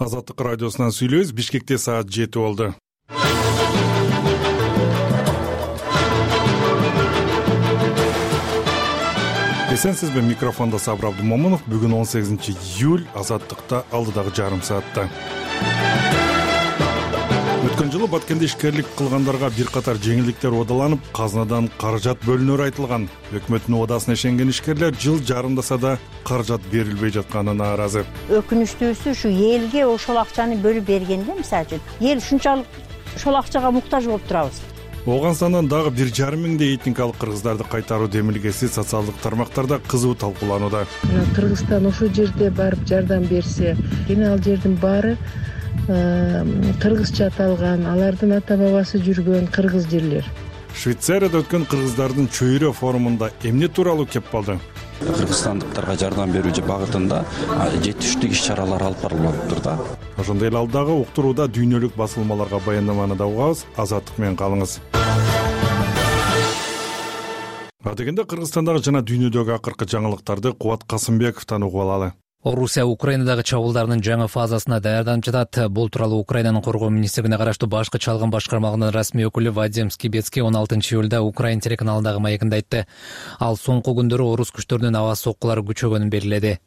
Азаттык радиосунан сүйлөйбүз. Бишкекте саат 7 болду. Эсенсизби, микрофондо Сабыр Абдумомунов. Бүгүн 18-июль, Азаттыкта алдыдагы жарым саатта. Өткөн жылы Баткенде ишкерлик кылгандарга бир катар жеңилдиктер угдаланып, казынадан каражат бөлүнөрү айтылган. Өкмөттүн убадасына ишенген ишкерлер жыл жарымдаса да каражат берилбей жатканына нааразы. Өкүнүчтүүсү ушу элге ошол акчаны бөлүп бергенде, мисалы үчүн, эл ушунчалык ошол акчага муктаж болуп турабыз. Ооганстандан дагы 1,5 миңдей этникалык кыргыздарды кайтаруу демилгеси социалдык тармактарда кызуу талкууланууда. Кыргызстан ошол жерде барып жардам берсе, эми ал жердин баары кыргызча аталган, алардын ата бабасы жүргөн кыргыз жерлер. Швейцарияда өткөн кыргыздардын чөйрө форумунда эмне тууралуу кеп калды? Кыргызстандыктарга жардам берүү багытында жетиштүү иш-чаралар алып барылып атыптыр да. Ошондой эле алдагы уктурууда дүйнөлүк басылмаларга баяндаманы да угабыз. Азаттык менен калыңыз. Адегенде Кыргызстандагы жана дүйнөдөгү акыркы жаңылыктарды Кубат Касымбековдон угуп алалы. Орусия Украинадагы чабуулдарынын жаңы фазасына даярданып жатат. Бул тууралуу Украинанын коргоо министрлигине караштуу башкы чалгын башкармалыгынын расмий өкүлү Вадим Скибецкий 16-июлда Украин телеканалындагы маегинде айтты. Ал соңку күндөрү орус күчтөрүнүн аба соккулары күчөгөнүн белгиледи.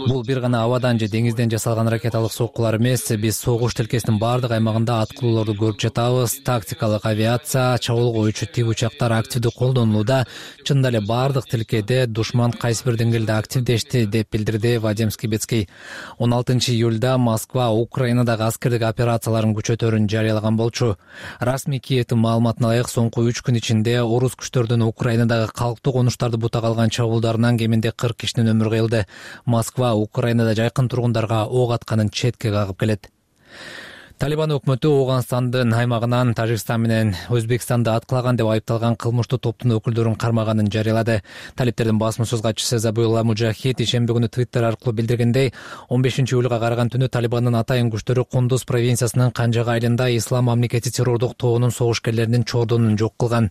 Бул бир гана абадан же деңизден жасалган ракеталык соккулар эмес, биз согуш тилкесинин бардык аймагында аткылоолорду көрүп жатабыз. Тактикалык авиация, чабуулга өчү тип учактар активдүү колдонулууда. Чынында эле бардык тилкеде душман кайсы бир деңгээлде активдешти, деп билдирди Вадим Скибецкий. 16-июлда Москва Украинадагы аскердик операцияларын күчөтөрүн жарыялаган болчу. Расмий Киевдин маалыматына ылайык, соңку 3 күн ичинде орус күчтөрүнүн Украинадагы калктуу конуштарды бутак алган чабуулдарынан кеминде 40 кишинин өмүрү кыйылды. Москва Украинада жайкын тургундарга ок атканын четке кагып келет. Талибан өкмөтү Ооганстандын аймагынан Тажикстан менен Өзбекстанды аткылаган деп айыпталган кылмыштуу топтун өкүлдөрүн кармаганын жарыялады. Талиптердин басма сөз катчысы Забыла Мужахид ишемби күнү Твиттер аркылуу билдиргендей, 15-июлга караган түнү Талибандын атайын күчтөрү Кундуз провинциясынын Канжага айылында Ислам мамлекети террордук тобунун согушкерлеринин чордонун жок кылган.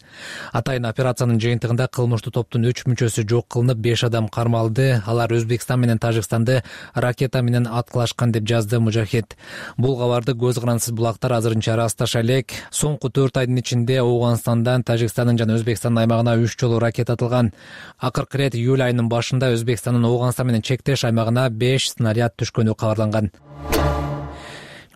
Атайын операциянын жыйынтыгында кылмыштуу топтун 3 мүчөсү жок кылынып, 5 адам кармалды. Алар Өзбекстан менен Тажикстанды ракета менен аткылашкан деп жазды Мужахид. Бул кабарды гранатсыз булактар азырынча ырасташа элек. Соңку 4 айдын ичинде Ооганстандан Тажикстандын жана Өзбекстандын аймагына 3 жолу ракета атылган. Акыркы ирет июль айынын башында Өзбекстандын Ооганстан менен чектеш аймагына 5 снаряд түшкөнү кабарланган.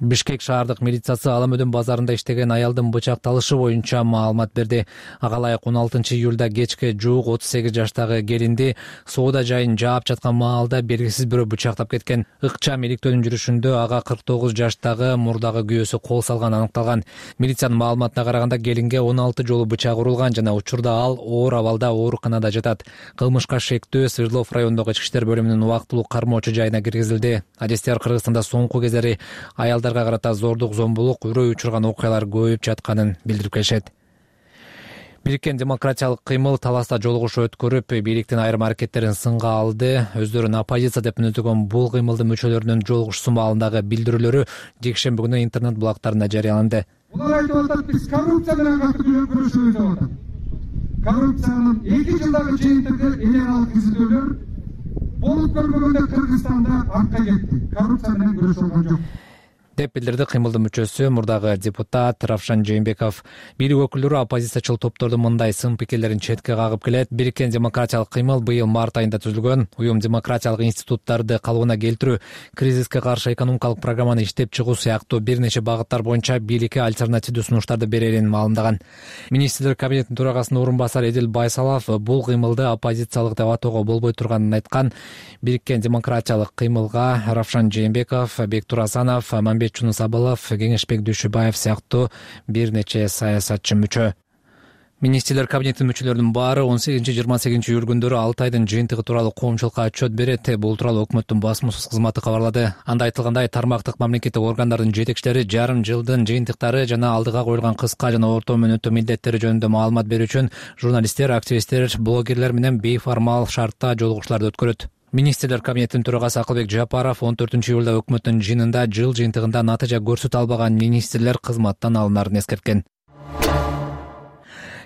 Бишкек шаардык милициясы Аламөдөн базарында иштеген аялдын бычакталышы боюнча маалымат берди. Ага ылайык 16-июлда кечке жуук 38 жаштагы келинди соода жайын жаап жаткан маалда белгисиз бирөө бычактап кеткен. Ыкчам иликтөөнүн жүрүшүндө ага 49 жаштагы мурдагы күйөөсү кол салганы аныкталган. Милициянын маалыматына караганда келинге 16 жолу бычак урулган жана учурда ал оор абалда ооруканада жатат. Кылмышка шектүү Свердлов районундагы ички иштер бөлүмүнүн убактылуу кармоочу жайына киргизилди. Адистер Кыргызстанда соңку кездери аялдарга карата зордук, зомбулук, үрөө учурган окуялар көбөйүп жатканын билдирип келишет. Бириккен демократиялык кыймыл таласта жолугушуу өткөрүп, бийликтин айрым аракеттерин сынга алды. Өздөрүн оппозиция деп мүнөздөгөн бул кыймылдын мүчөлөрүнүн жолугушуусу маалындагы билдирүүлөрү жекшемби күнү интернет блогтарында жарыяланды. Булар айтып атат, биз коррупция менен күрөшөбүз деп атат. Коррупциянын 2 жылдагы жыйынтыгы электрондук изилдөөлөр болуп көрбөгөндө Кыргызстанда артка кетти. Коррупция менен күрөшүлгөн жок, деп билдирди кыймылдын мүчөсү мурдагы депутат Равшан Жээнбеков. Бийлик өкүлдөрү оппозициячыл топтордун мындай сын пикирлерин четке кагып келет. Бириккен демократиялык кыймыл быйыл март айында түзүлгөн. Уюм демократиялык институттарды калыбына келтирүү, кризиске каршы экономикалык программаны иштеп чыгуу сыяктуу бир нече багыттар боюнча бийликке альтернативдүү сунуштарды берерин маалымдаган. Министрлер кабинетинин төрагасынын орун басары Эдил Байсалов бул кыймылды оппозициялык деп атоого болбой турганын айткан. Бириккен демократиялык кыймылга Равшан Жээнбеков, Бектур Асанов, Чунус Абылов, Кеңешбек Дүйшүбаев сыяктуу бир нече саясатчы мүчө. Министрлер кабинетинин мүчөлөрүнүн баары 18-28 июль күндөрү 6 айдын жыйынтыгы тууралуу коомчулукка отчет берет. Бул тууралуу өкмөттүн басма сөз кызматы кабарлады. Анда айтылгандай, тармактык мамлекеттик органдардын жетекчилери жарым жылдын жыйынтыктары жана алдыга коюлган кыска жана орто мөөнөттүү милдеттери жөнүндө маалымат берүү үчүн журналисттер, активисттер, блогерлер менен бейформал шартта жолугушууларды өткөрөт. Министрлер кабинетинин төрагасы Акылбек Жапаров 14-июлда өкмөттүн жыйынында жыл жыйынтыгында натыйжа көрсөтө албаган министрлер кызматтан алынарын эскерткен.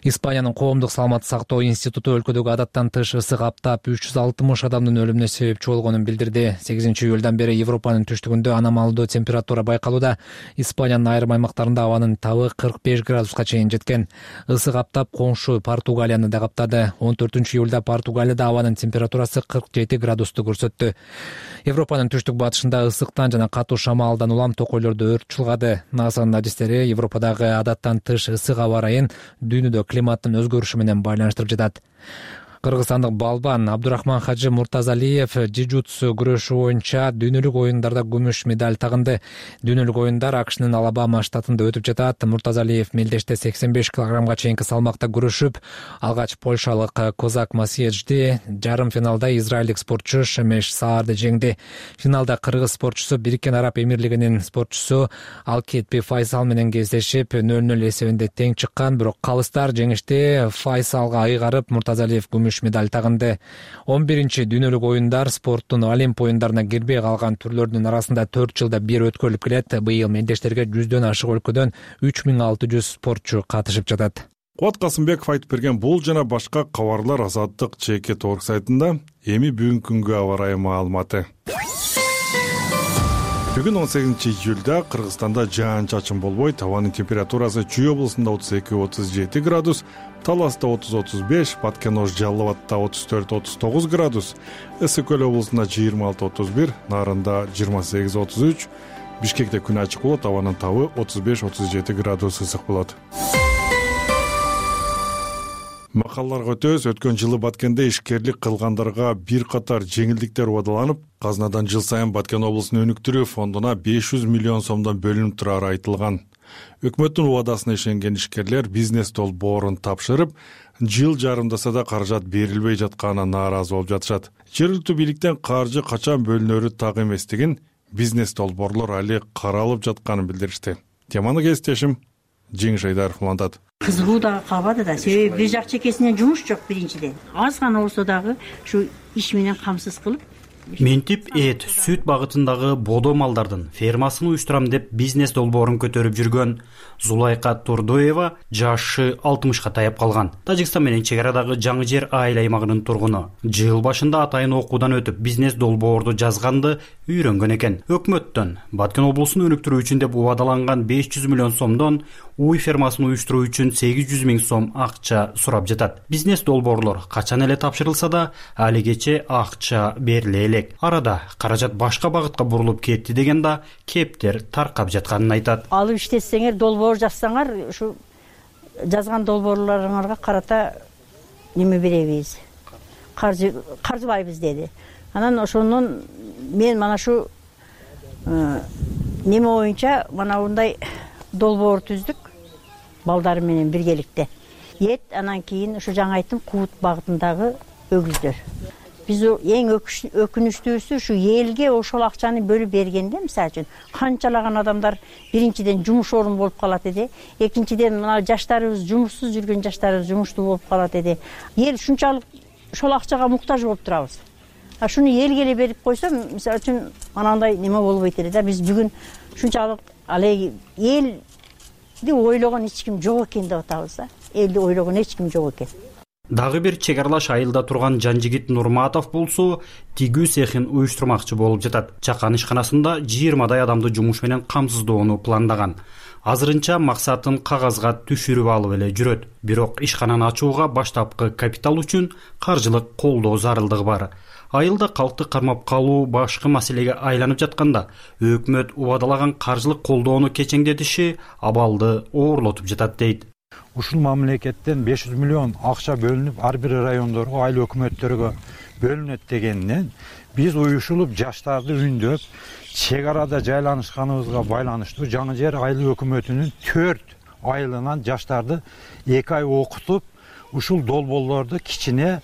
Испаниянын коомдук саламаттык сактоо институту өлкөдөгү адаттан тыш ысык аптап 360 адамдын өлүмүнө себепчи болгонун билдирди. 8-июлдан бери Европанын түштүгүндө аномалдуу температура байкалууда. Испаниянын айрым аймактарында абанын табы 45 градуска чейин жеткен. Ысык аптап коңшу Португалияны да каптады. 14-июлда Португалияда абанын температурасы 47 градусту көрсөттү. Европанын түштүк батышында ысыктан жана катуу шамалдан улам токойлордо өрт чулгады. НАСАнын адистери Европадагы адаттан тыш ысык аба ырайын дүйнөдө климаттын өзгөрүшү менен байланыштырып жатат. Кыргызстандык балбан Абдурахман Хажы Муртазалиев джиу-джитсу күрөшү боюнча дүйнөлүк оюндарда күмүш медаль тагынды. Дүйнөлүк оюндар АКШнын Алабама штатында өтүп жатат. Муртазалиев мелдеште 85 килограммга чейинки салмакта күрөшүп, алгач польшалык Козак Масиеджди, жарым финалда израилдик спортчу Шемеш Саарды жеңди. Финалда кыргыз спортчусу Бириккен Араб Эмирлигинин спортчусу Алкетпи Файсал менен кездешип 0-0 эсебинде тең чыккан, бирок калыстар жеңишти Файсалга айгарып, Муртазалиев күмүш медаль тагынды. 11-чи дүйнөлүк оюндар спорттун Олимп оюндарына кирбей калган түрлөрдүн арасында 4 жылда бир өткөрүлүп келет. Быйыл мелдештерге 100дөн ашык өлкөдөн 3600 спортчу катышып жатат. Кубат Касымбеков айтып берген бул жана башка кабарлар Азаттык ЧК сайтында. Эми бүгүнкү күнгө аба ырайы маалыматы. Бүгүн 18-июлда Кыргызстанда жаан-чачын болбой, табанын температурасы Чүй облусунда 32-37 градус, Таласта 30-35, Баткен-Ош Жалал Абадта 34-39 градус, Ысык-Көл облусунда 26-31, Нарында 28-33, Бишкекте күн ачык болот, абанын табы 35-37 градус ысык болот. Макалларга өтөбүз. Өткөн жылы Баткенде ишкерлик кылгандарга бир катар жеңилдиктер убадаланып, казынадан жыл сайын Баткен облусунун өнүктүрүү фондуна 500 миллион сомдон бөлүнүп турары айтылган. Өкмөттүн убадасына ишенген ишкерлер бизнес долбоорун тапшырып, жыл жарымдаса да каражат берилбей жатканына нааразы болуп жатышат. Жергиликтүү бийликтен каржы качан бөлүнөрү так эместигин, бизнес долбоорлор али каралып жатканын билдиришти. Теманы кесиптешим Жеңиш Айдаров улантат. Кызыгуу дагы калбады да, себеби бир жак чекесинен жумуш жок биринчиден. Аз гана болсо дагы ушу иш менен камсыз кылып Ментип эт, сүт багытындагы бодо малдардын фермасын уюштурам деп бизнес долбоорун көтөрүп жүргөн Зулайка Турдоева жашы 60ка таяп калган. Тажикстан менен чек арадагы Жаңы Жер айыл аймагынын тургуну. Жыл башында атайын окуудан өтүп бизнес долбоорду жазганды үйрөнгөн экен. Өкмөттөн Баткен облусун өнүктүрүү үчүн деп убадаланган 500 миллион сомдон уй фермасын уюштуруу үчүн 800 миң сом акча сурап жатат. Бизнес долбоорлор качан эле тапшырылса да, алигече акча бериле элек. Арада каражат башка багытка бурулуп кетти деген да кептер таркап жатканын айтат. Алып иштетсеңер, долбоор жазсаңар, ушу жазган долбоорлоруңарга карата неме беребиз, каржыбайбыз деди. Анан ошондон мен мана шу неме боюнча мына мындай долбоор түздүк балдар менен биргеликте. Эт, анан кийин ушу жаңа айттым, Кубут багытындагы өгүздөр. Биз эң өкүнүчтүүсү ушу элге ошол акчаны бөлүп бергенде, мисалы үчүн, канчалаган адамдар биринчиден жумуш орун болуп калат эди, экинчиден мына жаштарыбыз, жумушсуз жүргөн жаштарыбыз жумуштуу болуп калат эди. Эл ушунчалык ошол акчага муктаж болуп турабыз. Шуну элге эле берип койсом, мисалы үчүн, анандай неме болбойт эле да. Биз бүгүн ушунчалык алеги элди ойлогон эч ким жок экен деп атабыз да. Элди ойлогон эч ким жок экен. Дагы бир чек аралаш айылда турган Жанжигит Нурматов болсо, тигүү цехин уюштурмакчы болуп жатат. Чакан ишканасында 20дай адамды жумуш менен камсыздоону пландаган. Азырынча максатын кагазга түшүрүп алып эле жүрөт. Бирок ишкананы ачууга баштапкы капитал үчүн каржылык колдоо зарылдыгы бар. Айылда калкты кармап калуу башкы маселеге айланып жатканда, өкмөт убадалаган каржылык колдоону кечеңдетиши абалды оорлотуп жатат дейт. Ушул мамлекеттен 500 миллион акча бөлүнүп, ар бир райондорго, айыл өкмөттөргө бөлүнөт дегенден биз уюшулуп жаштарды үндөп, чек арада жайланышканыбызга байланыштуу Жаңы Жер айыл өкмөтүнүн 4 айылынан жаштарды 2 ай окутуп, ушул долбоорлорду кичине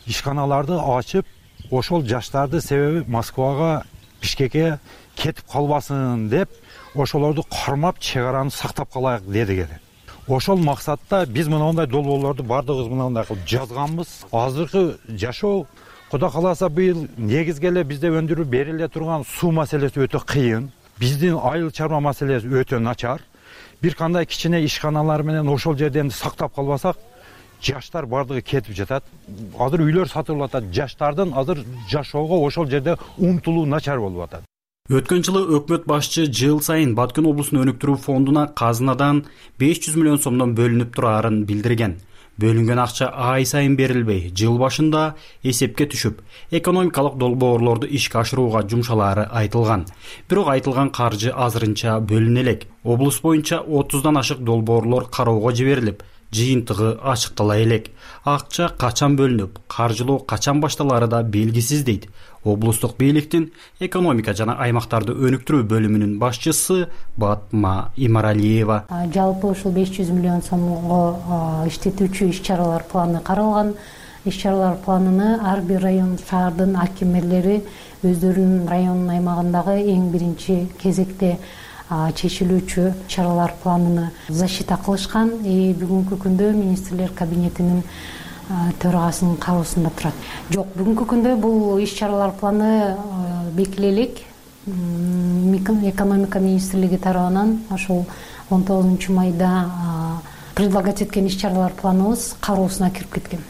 ишканаларды ачып, ошол жаштарды себеби Москвага, Бишкекке кетип калбасын деп, ошолорду кармап чек араны сактап калайык дедик. Ошол максатта биз мындай долбоорлорду бардыгыбыз мындай кылып жазганбыз. Азыркы жашоо Кудай кааласа быйыл негизги эле бизде өндүрүп бериле турган суу маселеси өтө кыйын. Биздин айыл чарба маселеси өтө начар. Бир кандай кичине ишканалар менен ошол жерден сактап калбасак, жаштар бардыгы кетип жатат. Азыр үйлөр сатылып атат. Жаштардын азыр жашоого ошол жерде умтулуу начар болуп атат. Өткөн жылы өкмөт башчы жыл сайын Баткен облусун өнүктүрүү фондуна казынадан 500 миллион сомдон бөлүнүп турарын билдирген. Бөлүнгөн акча ай сайын берилбей, жыл башында эсепке түшүп, экономикалык долбоорлорду ишке ашырууга жумшалаары айтылган. Бирок айтылган каржы азырынча бөлүнө элек. Облус боюнча 30дан ашык долбоорлор кароого жиберилип, жыйынтыгы ачыктала элек. Акча качан бөлүнүп, каржылоо качан башталары да белгисиз дейт облустук бийликтин экономика жана аймактарды өнүктүрүү бөлүмүнүн башчысы Батма Имаралиева. Жалпы ушул 500 миллион сомго иштетүүчү иш-чаралар планы каралган. Иш-чаралар планын ар бир район шаардын акимелери өздөрүнүн районунун аймагындагы эң биринчи кезекте чечилүүчү чаралар планын защита кылышкан. Бүгүнкү күндө министрлер кабинетинин төрагасынын кароосунда турат. Жок, бүгүнкү күндө бул иш-чаралар планы бекиле элек. Экономика министрлиги тарабынан ошол 19 майда предлагать эткен иш-чаралар планыбыз кароосуна кирип кеткен.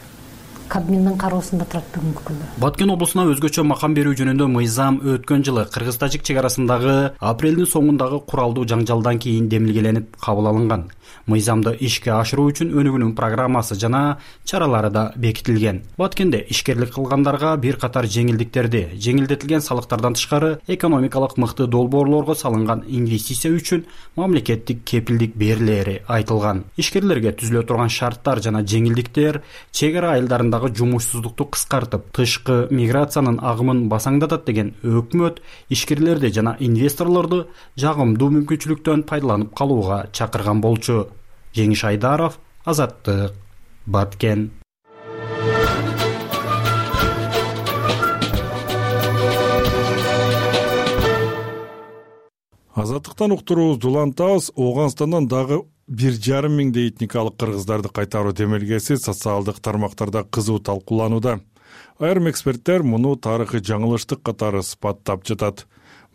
Кабминдин кароосунда турат бүгүнкү күндө. Баткен облусуна өзгөчө макам берүү жөнүндө мыйзам өткөн жылы кыргыз-тажик чек арасындагы апрелдин соңундагы куралдуу жаңжалдан кийин демилгеленип кабыл алынган. Мыйзамды ишке ашыруу үчүн өнүгүүнүн программасы жана чаралары да бекитилген. Баткенде ишкерлик кылгандарга бир катар жеңилдиктерди, жеңилдетилген салыктардан тышкары экономикалык мыкты долбоорлорго салынган инвестиция үчүн мамлекеттик кепилдик берилери айтылган. Ишкерлерге түзүлө турган шарттар жана жеңилдиктер чек ара айылдарындагы жумушсуздукту кыскартып, тышкы миграциянын агымын басаңдатат деген өкмөт ишкерлерди жана инвесторлорду жагымдуу мүмкүнчүлүктөн пайдаланып калууга чакырган болчу. Жеңиш Айдаров, Азаттык, Баткен. Азаттыктан уктуруубузду улантабыз. Ооганстандан дагы 1,5 миңдей этникалык кыргыздарды кайтаруу демилгеси социалдык тармактарда кызуу талкууланууда. Айрым эксперттер муну тарыхый жаңылыштык катары сыпаттап жатат.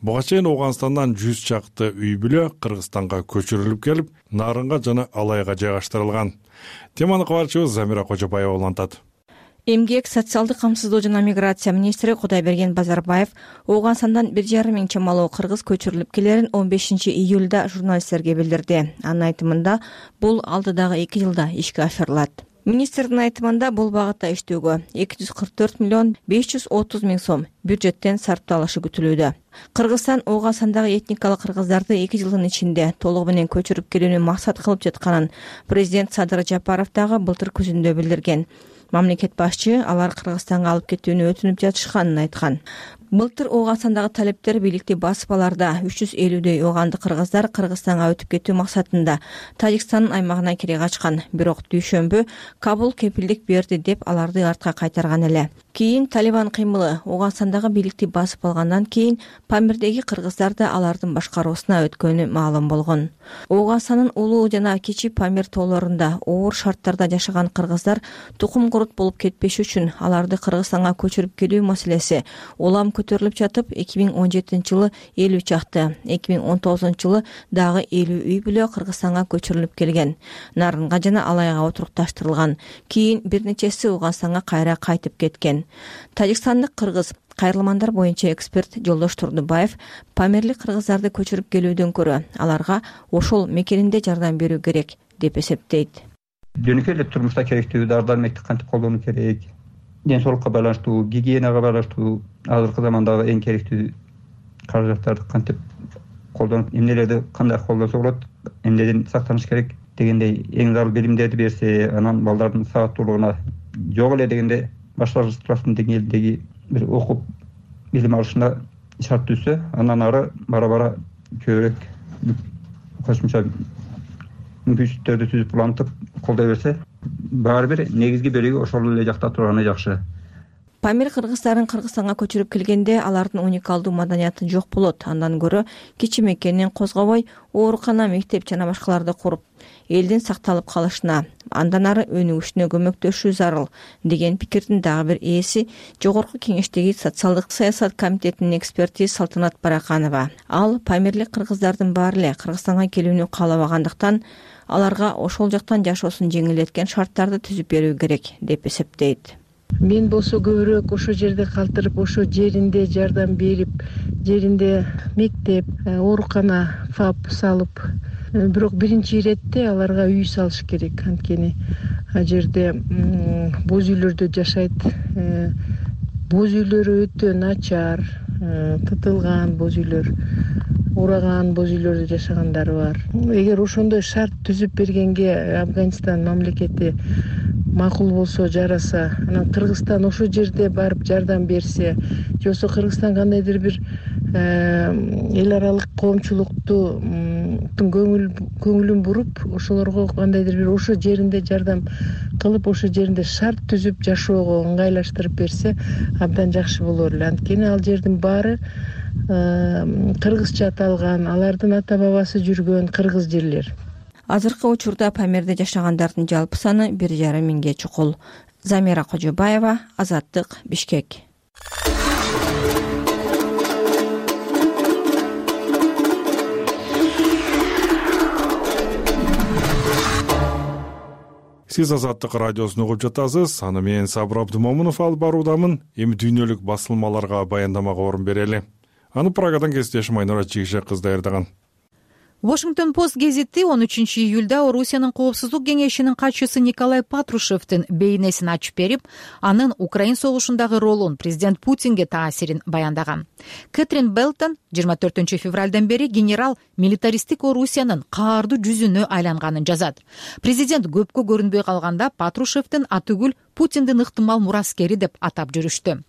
Буга чейин Ооганстандан 100 чакты үй бүлө Кыргызстанга көчүрүлүп келип, Нарынга жана Алайга жайгаштырылган. Теманы кабарчыбыз Замира Кожобаева улантат. Эмгек, социалдык камсыздоо жана миграция министри Кудайберген Базарбаев Ооганстандан 1,5 миң чамалуу кыргыз көчүрүлүп келерин 15 июлда журналисттерге билдирди. Анын айтымында бул алдыдагы 2 жылда ишке ашырылат. Министрдин айтымында бул багытта иштөөгө 244 миллион 530 миң сом бюджеттен сарпталышы күтүлүүдө. Кыргызстан Ооганстандагы этникалык кыргыздарды 2 жылдын ичинде толугу менен көчүрүп келүүнү максат кылып жатканын президент Садыр Жапаров дагы былтыр күзүндө билдирген. Мамлекет башчы алар Кыргызстанга алып кетүүнү өтүнүп жатышканын айткан. Былтыр Ооганстандагы талептер бийликти басып аларда 350дөй ооганды кыргыздар Кыргызстанга өтүп кетүү максатында Тажикстандын аймагына кире качкан. Бирок дүйшөмбү Кабул кепилдик берди деп аларды артка кайтарган эле. Кийин Талибан кыймылы Ооганстандагы бийликти басып алгандан кийин Памирдеги кыргыздар да алардын башкаруусуна өткөнү маалым болгон. Ооганстандын улуу жана кичи Памир тоолорунда оор шарттарда жашаган кыргыздар тукум курут болуп кетпеш үчүн аларды Кыргызстанга көчүрүп келүү маселеси улам көтөрүлүп жатып, 2017 жылы 50 чакты, 2019 жылы дагы 50 үй бүлө Кыргызстанга көчүрүлүп келген. Нарынга жана Алайга отурукташтырылган. Кийин бир нечеси Ооганстанга кайра кайтып кеткен. Тажикстандык кыргыз кайрылмандар боюнча эксперт Жолдош Турдубаев Памирлик кыргыздарды көчүрүп келүүдөн көрө аларга ошол мекенинде жардам берүү керек деп эсептейт. Жөнөкөй эле турмушта керектүү дар-дармекти кантип колдонуу керек, ден соолукка байланыштуу, гигиенага байланыштуу, азыркы замандагы эң керектүү каражаттарды кантип колдонуп, эмнелерди кандай колдонсо болот, эмнеден сактаныш керек дегендей эң зарыл билимдерди берсе, анан балдардын сабаттуулугуна жок эле дегенде башкалардын деңгээлиндеги бир окуп билим алышына шарт түзсө, андан ары бара-бара көбүрөөк кошумча мүмкүнчүлүктөрдү түзүп улантып колдой берсе, баары бир негизги бөлүгү ошол эле жакта турганы жакшы. Памир кыргыздарын Кыргызстанга көчүрүп келгенде алардын уникалдуу маданияты жок болот. Андан көрө кичи мекенин козгобой, оорукана, мектеп жана башкаларды куруп, элдин сакталып калышына, андан ары өнүгүшүнө көмөктөшүү зарыл деген пикирдин дагы бир ээси Жогорку Кеңештеги социалдык саясат комитетинин эксперти Салтанат Бараканова. Ал Памирлик кыргыздардын баары эле Кыргызстанга келүүнү каалабагандыктан аларга ошол жактан жашоосун жеңилдеткен шарттарды түзүп берүү керек деп эсептейт. Мен болсо көбүрөөк ошол жерде калтырып, ошол жеринде жардам берип, жеринде мектеп, оорукана, ФАП салып, бирок биринчи иретте аларга үй салыш керек. Анткени ал жерде боз үйлөрдө жашайт. Боз үйлөрү өтө начар, тытылган боз үйлөр, ураган боз үйлөрдө жашагандары бар. Эгер ошондой шарт түзүп бергенге Афганистан мамлекети макул болсо, жараса, анан Кыргызстан ошол жерде барып жардам берсе, же болбосо Кыргызстан кандайдыр бир эл аралык коомчулуктун көңүлүн буруп, ошолорго кандайдыр бир ошол жеринде жардам кылып, ошол жеринде шарт түзүп жашоого ыңгайлаштырып берсе, абдан жакшы болор эле. Анткени ал жердин баары кыргызча аталган, алардын ата бабасы жүргөн кыргыз жерлер. Азыркы учурда Памирде жашагандардын жалпы саны 1,5 миңге чукул. Замира Кожобаева, Азаттык, Бишкек. Сиз Азаттык радиосун угуп жатасыз. Аны мен Сабыр Абдымомунов алып баруудамын. Эми дүйнөлүк басылмаларга баяндамага орун берели. Аны Прагадан кесиптешим Айнура Чигишек кыз даярдаган. Washington Post гезити 13 июлда Орусиянын коопсуздук кеңешинин катчысы Николай Патрушевдин бейнесин ачып берип, анын Украин согушундагы ролун президент Путинге таасирин баяндаган. Кэтрин Белтон 24 февралдан бери генерал милитаристик Орусиянын каардуу жүзүнө айланганын жазат. Президент көпкө көрүнбөй калганда Патрушевдин атүгүл Путиндин ыктымал мураскери деп атап жүрүштү.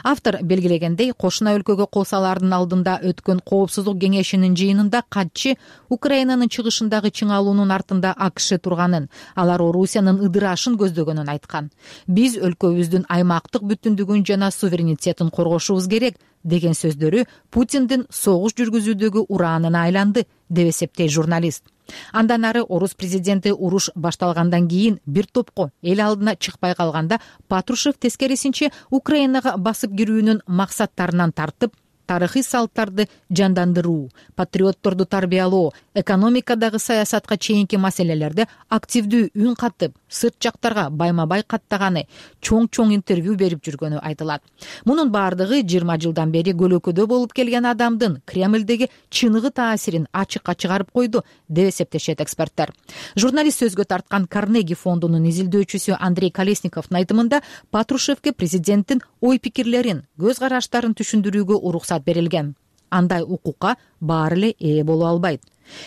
Автор белгилегендей, кошуна өлкөгө кол салаардын алдында өткөн коопсуздук кеңешинин жыйынында катчы Украинанын чыгышындагы чыңалуунун артында АКШ турганын, алар Орусиянын ыдырашын көздөгөнүн айткан. Биз өлкөбүздүн аймактык бүтүндүгүн жана суверенитетин коргошубуз керек деген сөздөрү Путиндин согуш жүргүзүүдөгү ураанына айланды деп эсептейт журналист. Андан ары орус президенти уруш башталгандан кийин бир топко эл алдына чыкпай калганда Патрушев тескерисинче Украинага басып кирүүнүн максаттарынан тартып, тарыхый салттарды жандандыруу, патриотторду тарбиялоо, экономикадагы саясатка чейинки маселелерде активдүү үн катып, сырт жактарга байма-бай каттаганы, чоң интервью берип жүргөнү айтылат. Мунун баардыгы 20 жылдан бери көлөкөдө болуп келген адамдын Кремлдеги чыныгы таасирин ачыкка чыгарып койду деп эсептешет эксперттер. Журналист сөзгө тарткан Карнеги фондунун изилдөөчүсү Андрей Колесниковдун айтымында Патрушевге президенттин ой-пикирлерин, көз караштарын түшүндүрүүгө уруксат берилген. Андай укукка баары эле ээ боло албайт.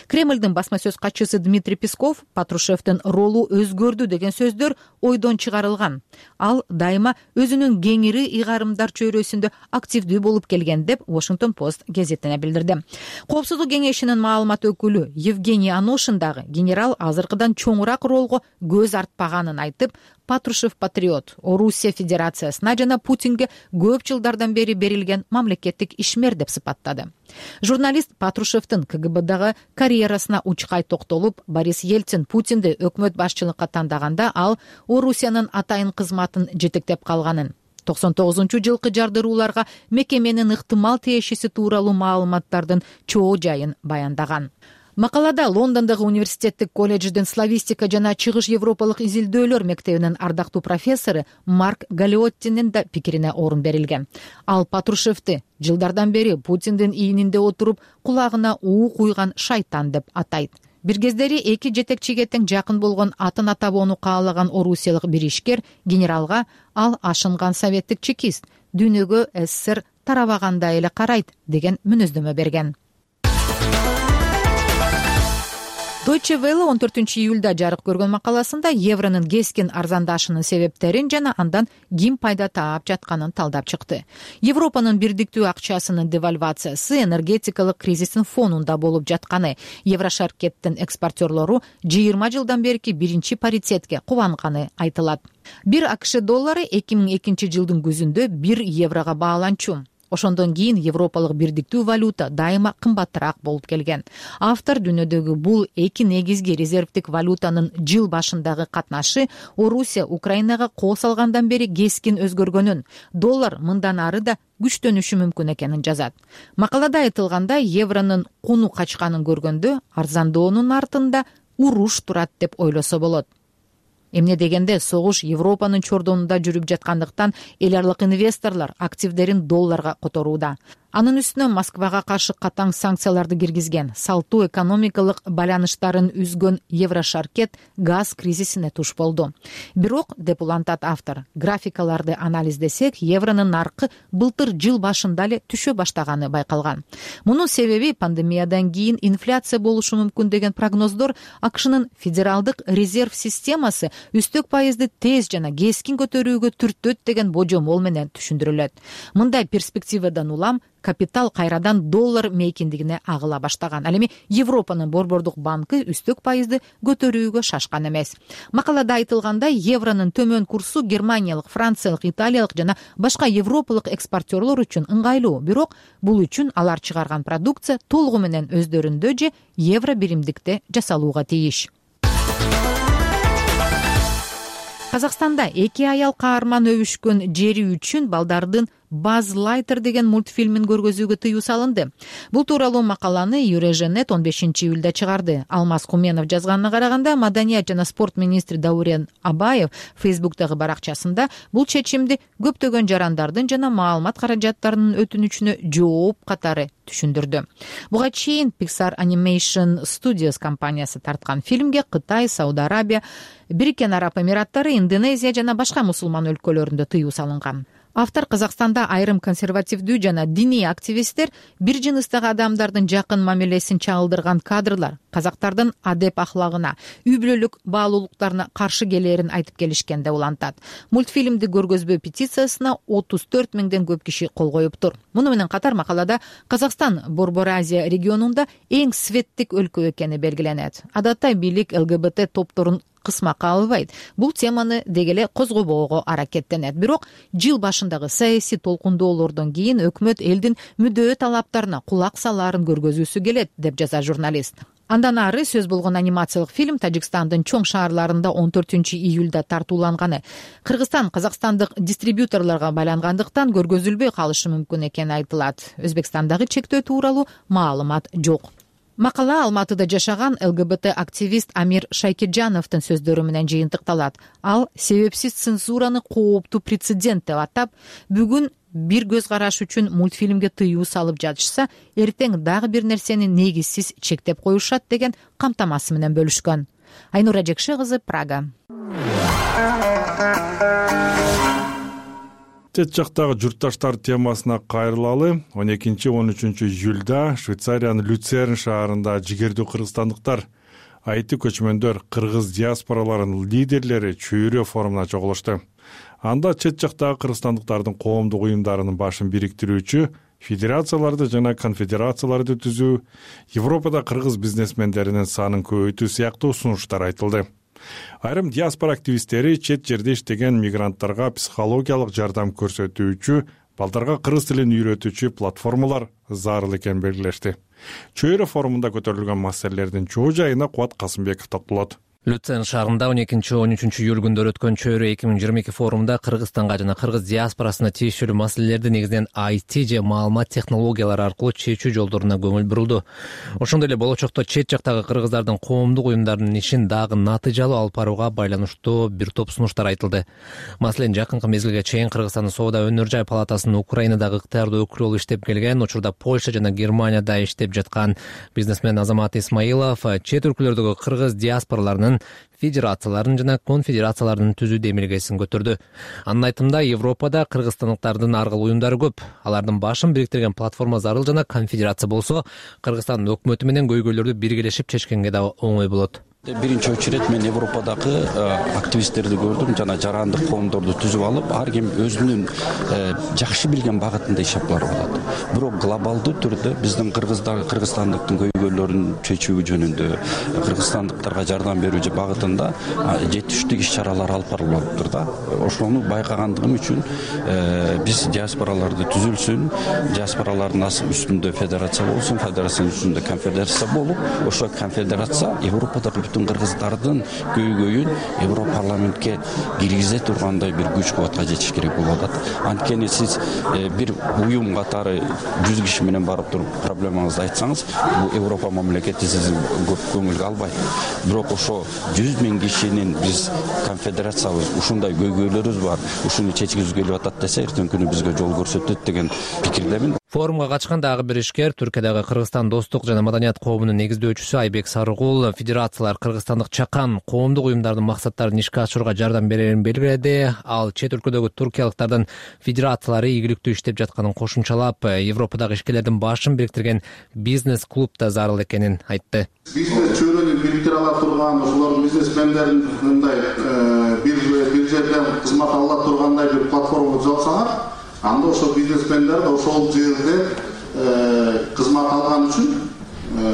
Кремлдин басма сөз катчысы Дмитрий Песков Патрушевдин ролу өзгөрдү деген сөздөр ойдон чыгарылган. Ал дайыма өзүнүн кеңири ыйгарымдар чөйрөсүндө активдүү болуп келген деп Washington Post гезитине билдирди. Коопсуздук кеңешинин маалымат өкүлү Евгений Аношин дагы генерал азыркыдан чоңураак ролго көз артпаганын айтып, Патрушев патриот, Орусия Федерациясына жана Путинге көп жылдардан бери берилген мамлекеттик ишмер деп сыпаттады. Журналист Патрушевдин КГБдагы карьерасына учкай токтолуп, Борис Ельцин Путинди өкмөт башчылыкка тандаганда ал Орусиянын атайын кызматын жетектеп калганын, 99-жылкы жардырууларга мекеменин ыктымал тиешеси тууралуу маалыматтардын чоо жайын баяндаган. Макалада Лондондогу университеттик колледждин славистика жана чыгыш европалык изилдөөлөр мектебинин ардактуу профессору Марк Галиоттинин да пикирине орун берилген. Ал Патрушевди жылдардан бери Путиндин ийининде отуруп, кулагына уу куйган шайтан деп атайт. Бир кездери эки жетекчиге тең жакын болгон атын атабоону каалаган орусиялык бир ишкер генералга ал ашынган советтик чекист, дүйнөгө СССР тарабагандай эле карайт деген мүнөздөмө берген. Deutsche Welle 14 июлда жарык көргөн макаласында евронун кескин арзандашынын себептерин жана андан ким пайда таап жатканын талдап чыкты. Европанын бирдиктүү акчасынын девальвациясы энергетикалык кризистин фонунда болуп жатканы, Еврошаркеттин экспортерлору 20 жылдан берки биринчи паритетке кубанганы айтылат. Бир АКШ доллары 2002 жылдын күзүндө 1 еврого бааланчу. Ошондон кийин европалык бирдиктүү валюта дайыма кымбатыраак болуп келген. Автор дүйнөдөгү бул эки негизги резервдик валютанын жыл башындагы катнашы Орусия Украинага кол салгандан бери кескин өзгөргөнүн, доллар мындан ары да күчтөнүшү мүмкүн экенин жазат. Макалада айтылгандай, евронун куну качканын көргөндө арзандоонун артында уруш турат деп ойлосо болот. Эмне дегенде согуш Европанын чордонунда жүрүп жаткандыктан эл аралык инвесторлор активдерин долларга которууда. Анын үстүнө Москвага каршы катаң санкцияларды киргизген, салтуу экономикалык байланыштарын үзгөн Еврошаркет газ кризисине туш болду. Бирок, деп улантат автор, графикаларды анализдесек, евронун наркы былтыр жыл башында эле түшө баштаганы байкалган. Мунун себеби пандемиядан кийин инфляция болушу мүмкүн деген прогноздор АКШнын федералдык резерв системасы үстөк пайызды тез жана кескин көтөрүүгө түртөт деген божомол менен түшүндүрүлөт. Мындай перспективадан улам капитал кайрадан доллар мейкиндигине агыла баштаган. Ал эми Европанын борбордук банкы үстөк пайызды көтөрүүгө шашкан эмес. Макалада айтылгандай, евронун төмөн курсу германиялык, франциялык, италиялык жана башка европалык экспортерлор үчүн ыңгайлуу, бирок бул үчүн алар чыгарган продукция толугу менен өздөрүндө же евро биримдикте жасалууга тийиш. Казакстанда 2 аял каарман өбүшкөн жери үчүн балдардын Buzz Lightyear деген мультфильмин көргөзүүгө тыюу салынды. Бул тууралуу макаланы Eurasianet 15-июлда чыгарды. Алмаз Куменов жазганына караганда, маданият жана спорт министри Даурен Абаев Facebook'тагы баракчасында бул чечимди көптөгөн жарандардын жана маалымат каражаттарынын өтүнүчүнө жооп катары түшүндүрдү. Буга чейин Pixar Animation Studios компаниясы тарткан фильмге Кытай, Сауд Арабия, Бириккен Араб Эмираттары, Индонезия жана башка мусулман өлкөлөрүндө тыюу салынган. Автор Казакстанда айрым консервативдүү жана диний активисттер бир жыныстагы адамдардын жакын мамилесин чагылдырган кадрлар казактардын адеп ахлагына, үй бүлөлүк баалуулуктарына каршы келээрин айтып келишкен деп улантат. Мультфильмди көргөзбөө петициясына 34 миңден көп киши кол коюптур. Муну менен катар макалада Казакстан Борбор Азия регионунда эң светтик өлкө экени белгиленет. Адатта бийлик ЛГБТ топторун кысмакка албайт. Бул теманы дегеле козгобоого аракеттенет. Бирок жыл башындагы саясий толкундоолордон кийин өкмөт элдин мүдөө талаптарына кулак салаарын көргөзүүсү келет, деп жаза журналист. Андан ары сөз болгон анимациялык фильм Тажикстандын чоң шаарларында 14-июлда тартууланганы. Кыргызстан казакстандык дистрибьюторлорго байлангандыктан көргөзүлбөй калышы мүмкүн экени айтылат. Өзбекстандагы чектөө тууралуу маалымат жок. Макала Алматыда жашаган ЛГБТ активист Амир Шайкиджановдун сөздөрү менен жыйынтыкталат. Ал себепсиз цензураны кооптуу прецедент деп атап, бүгүн бир көз караш үчүн мультфильмге тыюу салып жатышса, эртең дагы бир нерсени негизсиз чектеп коюшат деген камтамасы менен бөлүшкөн. Айнура Жекше кызы, Прага. Чет жактагы журтташтар темасына кайрылалы. 12-13 июлда Швейцариянын Люцерн шаарында жигердүү кыргызстандыктар, айты көчмөндөр, кыргыз диаспораларынын лидерлери чөйрө форумуна чогулушту. Анда чет жактагы кыргызстандыктардын коомдук уюмдарынын башын бириктирүүчү, федерацияларды жана конфедерацияларды түзүү, Европада кыргыз бизнесмендеринин санын көбөйтүү сыяктуу сунуштар айтылды. Айрым диаспора активисттери чет жерде иштеген мигранттарга психологиялык жардам көрсөтүүчү, балдарга кыргыз тилин үйрөтүүчү платформалар зарыл экенин белгилешти. Чөйрө форумунда көтөрүлгөн маселелердин чоо жайына Кубат Касымбеков токтолот. Люцерн шаарында 12-13 июль күндөрү өткөн чөйрө 2022 форумда Кыргызстанга жана кыргыз диаспорасына тиешелүү маселелерди негизинен IT же маалымат технологиялары аркылуу чечүү жолдоруна көңүл бурулду. Ошондой эле болочокто чет жактагы кыргыздардын коомдук уюмдарынын ишин дагы натыйжалуу алып барууга байланыштуу бир топ сунуштар айтылды. Маселен, жакынкы мезгилге чейин Кыргызстандын Соода өнөр жай палатасынын Украинадагы ыктыярдуу өкүлү болуп иштеп келген, учурда Польша жана Германияда иштеп жаткан бизнесмен Азамат Исмаилов чет өлкөлөрдөгү кыргыз диаспораларынын федерацияларын жана конфедерацияларын түзүүдө эмелгесин көтөрдү. Анын айтымында, Европада кыргызстандыктардын аргыл уюмдары көп. Алардын башын бириктирген платформа зарыл жана конфедерация болсо, Кыргызстандын өкмөтү менен көйгөйлөрдү биргелешип чечкенге да оңой болот. Биринчи очередь мен Европадагы активисттерди көрдүм жана жарандык коомдорду түзүп алып, ар ким өзүнүн жакшы билген багытында иш алып барып атат. Бирок глобалдуу түрдө биздин кыргызстандыктын көйгөйлөрүн чечүү жөнүндө, кыргызстандыктарга жардам берүү багытында жетиштүү иш-чаралар алып барылыптыр да. Ошону байкагандыгым үчүн биз диаспораларды түзүлсүн, диаспоралардын үстүндө федерация болсун, федерациянын үстүндө конфедерация болуп, ошо конфедерация Европадагы бүтүн кыргыздардын көйгөйүн Европарламентке киргизе тургандай бир күч кубатка жетиш керек болуп атат. Анткени сиз бир уюм катары 100 киши менен барып туруп проблемаңызды айтсаңыз, бул Европа мамлекети сизди көп көңүлгө албайт. Бирок ошо 100 000 кишинин биз конфедерациябыз, ушундай көйгөйлөрүбүз бар, ушуну чечкизүү келип атат десе, эртең күнү бизге жол көрсөтөт деген пикирдемин. Форумга катышкан дагы бир ишкер, Түркиядагы Кыргызстан достук жана маданият коомунун негиздөөчүсү Айбек Сарыгул федерациялар кыргызстандык чакан коомдук уюмдардын максаттарын ишке ашырууга жардам берерин белгиледи. Ал чет өлкөдөгү туркиялыктардын федерациялары ийгиликтүү иштеп жатканын кошумчалап, Европадагы ишкерлердин башын бириктирген бизнес-клуб да зарыл экенин айтты. Бизнес чөйрөнү бириктире ала турган, ошолордун бизнесмендерин мындай бир жерден кызмат ала тургандай бир платформа жасасаңар, анда ошо бизнесмендер ошол жерде кызмат алган үчүн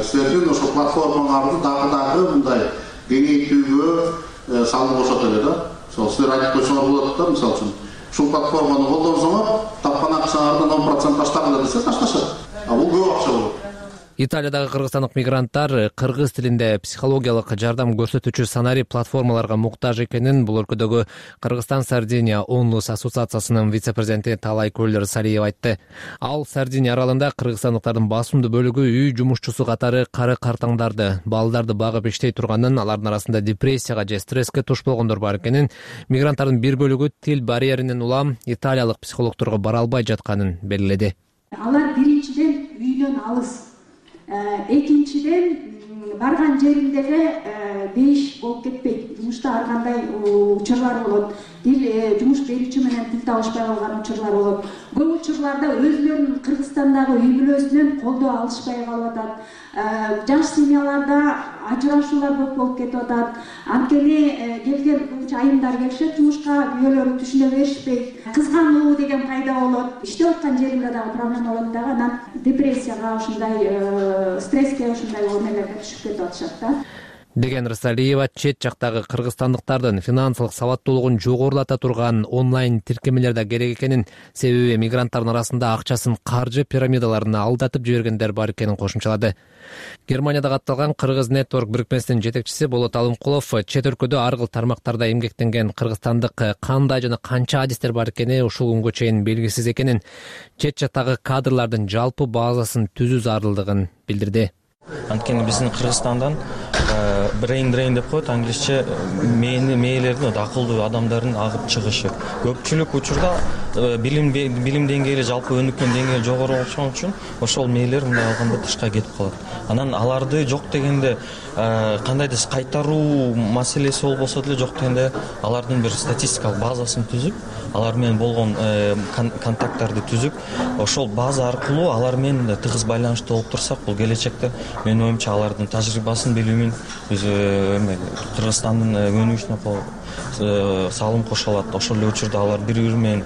силердин ошо платформаңарды дагы мындай кеңейтүүгө салым кошот эле да. Ошол силер айтып койсоңор болот да, мисалы үчүн ушул платформаны колдонсоңор тапкан акчаңардан 10% таштагыла десе ташташат. Бул көп акча болот. Италиядагы кыргызстандык мигранттар кыргыз тилинде психологиялык жардам көрсөтүүчү санари платформаларга муктаж экенин бул өлкөдөгү Кыргызстан Сардиния Онлус ассоциациясынын вице-президенти Талай Көлдөр Салиев айтты. Ал Сардиния аралында кыргызстандыктардын басымдуу бөлүгү үй жумушчусу катары кары-картаңдарды, балдарды багып иштей турганын, алардын арасында депрессияга же стресске туш болгондор бар экенин, мигранттардын бир бөлүгү тил барьеринен улам италиялык психологторго бара албай жатканын белгиледи. Алар биринчиден үйдөн алыс. Экинчиден барган жериндеги бейиш болуп кетпейт. Жумушта ар кандай учурлар болот. Жумуш берүүчү менен тил табышпай калган учурлар болот. Көп учурларда өзүлөрүнүн Кыргызстандагы үй бүлөсүнөн колдоо алышпай калып атат. Жаш семьяларда ажырашуулар болуп кетип атат. Анткени келген көбүнчө айымдар келишет жумушка, күйөөлөрү түшүнө беришпейт. Кызгануу деген пайда болот. Иштеп аткан жеринде дагы проблема болот дагы, анан депрессияга, ушундай стресске, ушундай эмелерге түшүп кетип атышат да. Деген Рысалиева чет жактагы кыргызстандыктардын финансылык сабаттуулугун жогорулата турган онлайн тиркемелер да керек экенин, себеби мигранттардын арасында акчасын каржы пирамидаларына алдатып жибергендер бар экенин кошумчалады. Германияда катталган Кыргыз Network бирикмесинин жетекчиси Болот Алымкулов чет өлкөдө ар кыл тармактарда эмгектенген кыргызстандык кандай жана канча адистер бар экени ушул күнгө чейин белгисиз экенин, чет жактагы кадрлардын жалпы базасын түзүү зарылдыгын билдирди. Анткени биздин Кыргызстандан brain drain деп коет англисче, мээлердин акылдуу адамдардын агып чыгышы. Көпчүлүк учурда билим деңгээли, жалпы өнүккөн деңгээли жогору болушон үчүн ошол мээлер мындай алганда тышка кетип калат. Анан аларды жок дегенде кандайдыр кайтаруу маселеси болбосо деле, жок дегенде алардын бир статистикалык базасын түзүп, алар менен болгон контакттарды түзүп, ошол база аркылуу алар менен тыгыз байланышта болуп турсак, бул келечекте менин оюмча алардын тажрыйбасын, билимин биз Кыргызстандын өнүгүшүнө салым кошо алат. Ошол эле учурда алар бири-бири менен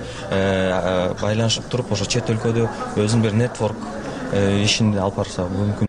байланышып туруп, ошо чет өлкөдө өзүнүн бир нетворк ишин алып барса мүмкүн.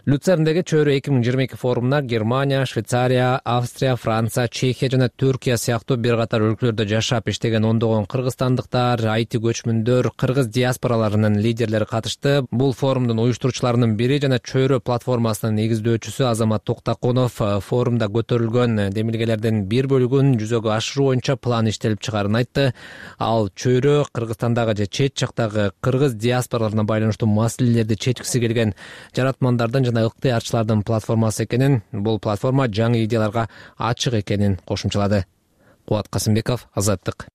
Люцерндеги чөйрө 2022 форумуна Германия, Швейцария, Австрия, Франция, Чехия жана Түркия сыяктуу бир катар өлкөлөрдө жашап иштеген ондогон кыргызстандыктар, айти көчмөндөр, кыргыз диаспораларынын лидерлери катышты. Бул форумдун уюштуруучуларынын бири жана чөйрө платформасынын негиздөөчүсү Азамат Токтаконов форумда көтөрүлгөн демилгелердин бир бөлүгүн жүзөгө ашыруу боюнча план иштелип чыгарын айтты. Ал чөйрө Кыргызстандагы же чет жактагы кыргыз диаспораларына байланыштуу маселелерди чечкиси келген жаратмандардын жана ыктыярчылардын платформасы экенин, бул платформа жаңы идеяларга ачык экенин кошумчалады. Кубат Касымбеков, Азаттык.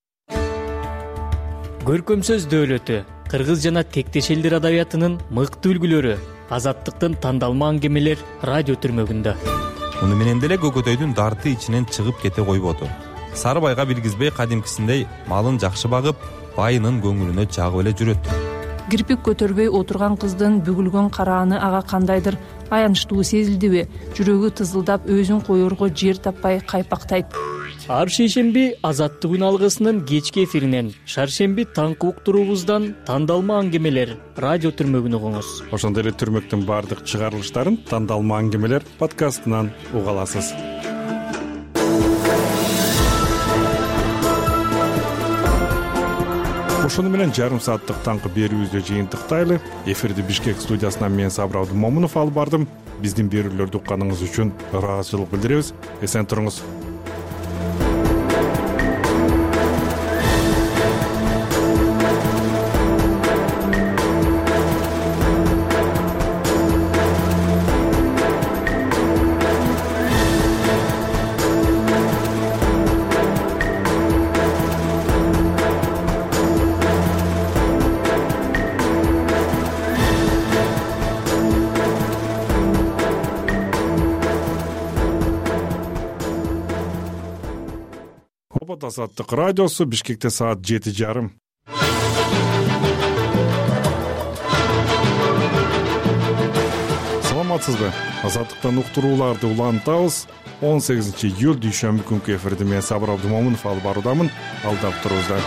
Көркөм сөз дөөлөтү, кыргыз жана тектеш элдер адабиятынын мыкты үлгүлөрү, Азаттыктын тандалма аңгемелер радио түрмөгүндө. Муну менен деле көкөтөйдүн дарты ичинен чыгып кете койбоду. Сары байга билгизбей кадимкисиндей малын жакшы багып, байынын көңүлүнө жагып эле жүрөт. Кирпик көтөрбөй отурган кыздын бүгүлгөн карааны ага кандайдыр аянычтуу сезилдиби? Жүрөгү тызылдап, өзүн коерго жер таппай кайпактайт. Ар шейшемби Азаттык үн алгысынын кечки эфиринен, шаршемби таңкы уктуруубуздан тандалма аңгемелер радио түрмөгүн угуңуз. Ошондой эле түрмөктүн баардык чыгарылыштарын тандалма аңгемелер подкастынан уга аласыз. ошону менен жарым сааттык таңкы берүүбүздү жыйынтыктайлы. Эфирди Бишкек студиясынан мен Сабыр Абдумомунов алып бардым. Биздин берүүлөрдү укканыңыз үчүн ыраазычылык билдиребиз. Эсен туруңуз. Азаттык радиосу, Бишкекте саат 7:30. Саламатсызбы? Азаттыктан уктурууларды улантабыз. 18 июль дүйшөмбү күнкү эфирди мен Сабыр Абдумомунов алып баруудамын. Алдап турузда.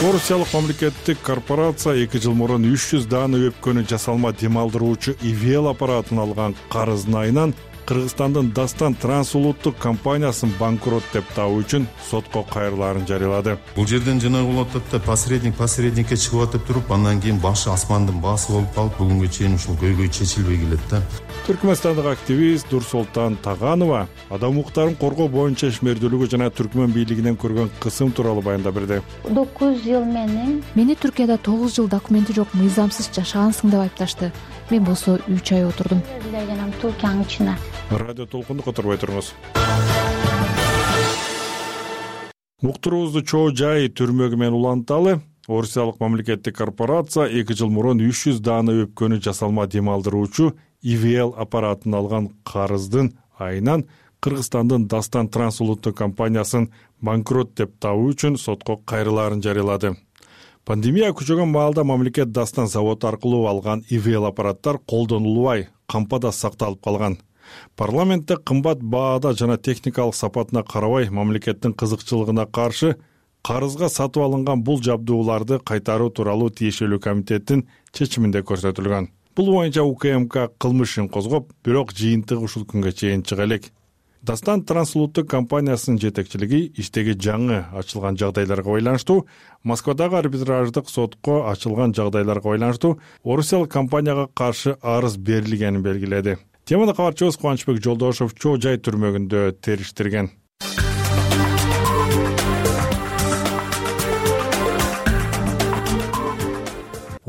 Орусиялык мамлекеттик корпорация 2 жыл мурун 300 даана өпкөнү жасалма дем алдыруучу ИВЛ аппаратын алган карыздын айынан Кыргызстандын Дастан трансулуттук компаниясын банкрот деп табуу үчүн сотко кайрылаарын жарыялады. Бул жерден жана болот посредникке чыгып атып туруп, андан кийин башы асмандын баасы болуп калып, бүгүнгө чейин ушул көйгөй чечилбей келет да. Түркмөнстандык активист Нурсултан Таганова адам укуктарын коргоо боюнча ишмердүүлүгү жана Түркмөн бийлигинен көргөн кысым тууралуу баяндап берди. 9 жыл мени Түркияда 9 жыл документи жок мыйзамсыз жашагансың деп айыпташты. Мен болсо 3 ай отурдум. Радио толкунду которбой туруңуз. Уктуруубузду чоо жай түрмөгү менен уланталы. Орусиялык мамлекеттик корпорация 2 жыл мурун 300 даана өпкөнү жасалма дем алдыруучу ИВЛ аппаратын алган карыздын айынан Кыргызстандын Дастан трансулуттук компаниясын банкрот деп табуу үчүн сотко кайрылаарын жарыялады. Пандемия күчөгөн маалда мамлекет Дастан заводу аркылуу алган ИВЛ аппараттар колдонулбай, кампада сакталып калган. Парламентте кымбат баада жана техникалык сапатына карабай мамлекеттин кызыкчылыгына каршы карызга сатып алынган бул жабдууларды кайтаруу тууралуу тиешелүү комитеттин чечиминде көрсөтүлгөн. Бул боюнча УКМК кылмыш ишин козгоп, бирок жыйынтыгы ушул күнгө чейин чыга элек. Дастан трансулуттук компаниясынын жетекчилиги иштеги жаңы ачылган жагдайларга байланыштуу, Москвадагы арбитраждык сотко ачылган жагдайларга байланыштуу орусиялык компанияга каршы арыз берилгенин белгиледи. Теманы кабарчыбыз Кубанычбек Жолдошов чоо жай түрмөгүндө териштирген.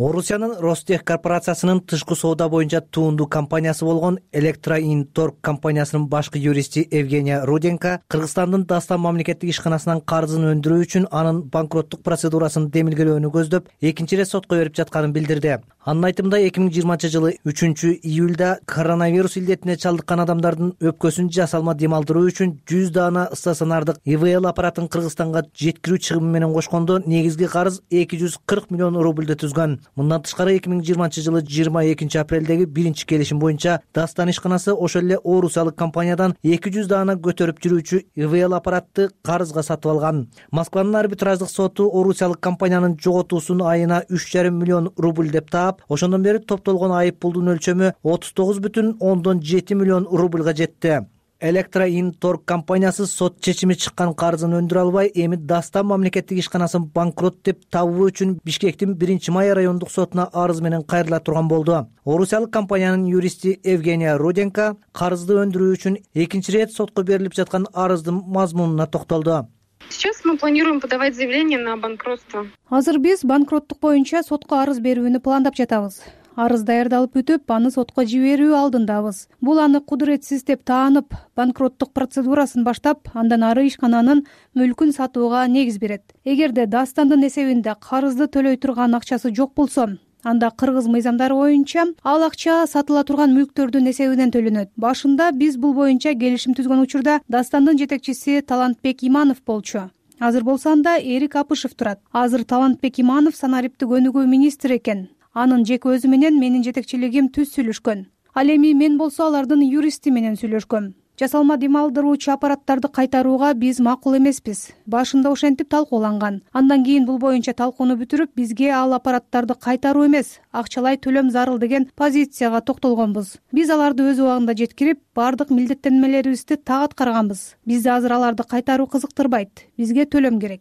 Орусиянын Ростех корпорациясынын тышкы соода боюнча туунду компаниясы болгон Электроинторг компаниясынын башкы юристи Евгения Руденко Кыргызстандын Дастан мамлекеттик ишканасынан карызын өндүрүү үчүн анын банкроттук процедурасын демилгелөөнү көздөп, экинчи ирет сотко берип жатканын билдирди. Анын айтымында 2020 жылы 3 июлда коронавирус илдетине чалдыккан адамдардын өпкөсүн жасалма дем алдыруу үчүн 100 даана стационардык ИВЛ аппаратын Кыргызстанга жеткирүү чыгымы менен кошкондо негизги карыз 240 миллион рубльдө түзгөн. Мындан тышкары 2020 жылы 22 апрелдеги биринчи келишим боюнча Дастан ишканасы ошол эле орусиялык компаниядан 200 даана көтөрүп жүрүүчү ИВЛ аппаратты карызга сатып алган. Москванын арбитраждык соту орусиялык компаниянын жоготуусун айына 3,5 миллион рубль деп таап, ошондон бери топтолгон айып пулдун өлчөмү 39,7 миллион рубльга жетти. Электроинторг компаниясы сот чечими чыккан карызын өндүрө албай, эми Дастан мамлекеттик ишканасын банкрот деп табуу үчүн Бишкектин 1-май райондук сотуна арыз менен кайрыла турган болду. Орусиялык компаниянын юристи Евгения Руденко карызды өндүрүү үчүн экинчи ирет сотко берилип жаткан арыздын мазмунуна токтолду. Сейчас мы планируем подавать заявление на банкротство. Азыр биз банкроттук боюнча сотко арыз берүүнү пландап жатабыз. Арыз даярдалып бүтүп, аны сотко жиберүү алдындабыз. Бул аны кудуретсиз деп таанып, банкроттук процедурасын баштап, андан ары ишкананын мүлкүн сатууга негиз берет. Эгерде Дастандын эсебинде карызды төлөй турган акчасы жок болсо, анда кыргыз мыйзамдары боюнча ал акча сатыла турган мүлктөрдүн эсебинен төлөнөт. Башында биз бул боюнча келишим түзгөн учурда Дастандын жетекчиси Талантбек Иманов болчу. Азыр болсо анда Эрик Апышев турат. Азыр Талантбек Иманов санариптик өнүгүү министри экен. Анын жеке өзү менен менин жетекчилигим түз сүйлөшкөн. Ал эми мен болсо алардын юристи менен сүйлөшкөм. Жасалма дем алдыруучу аппараттарды кайтарууга биз макул эмеспиз. Башында ошентип талкууланган. Андан кийин бул боюнча талкууну бүтүрүп, бизге ал аппараттарды кайтаруу эмес, акчалай төлөм зарыл деген позицияга токтолгонбуз. Биз аларды өз убагында жеткирип, бардык милдеттенмелерибизди так аткарганбыз. Бизди азыр аларды кайтаруу кызыктырбайт. Бизге төлөм керек.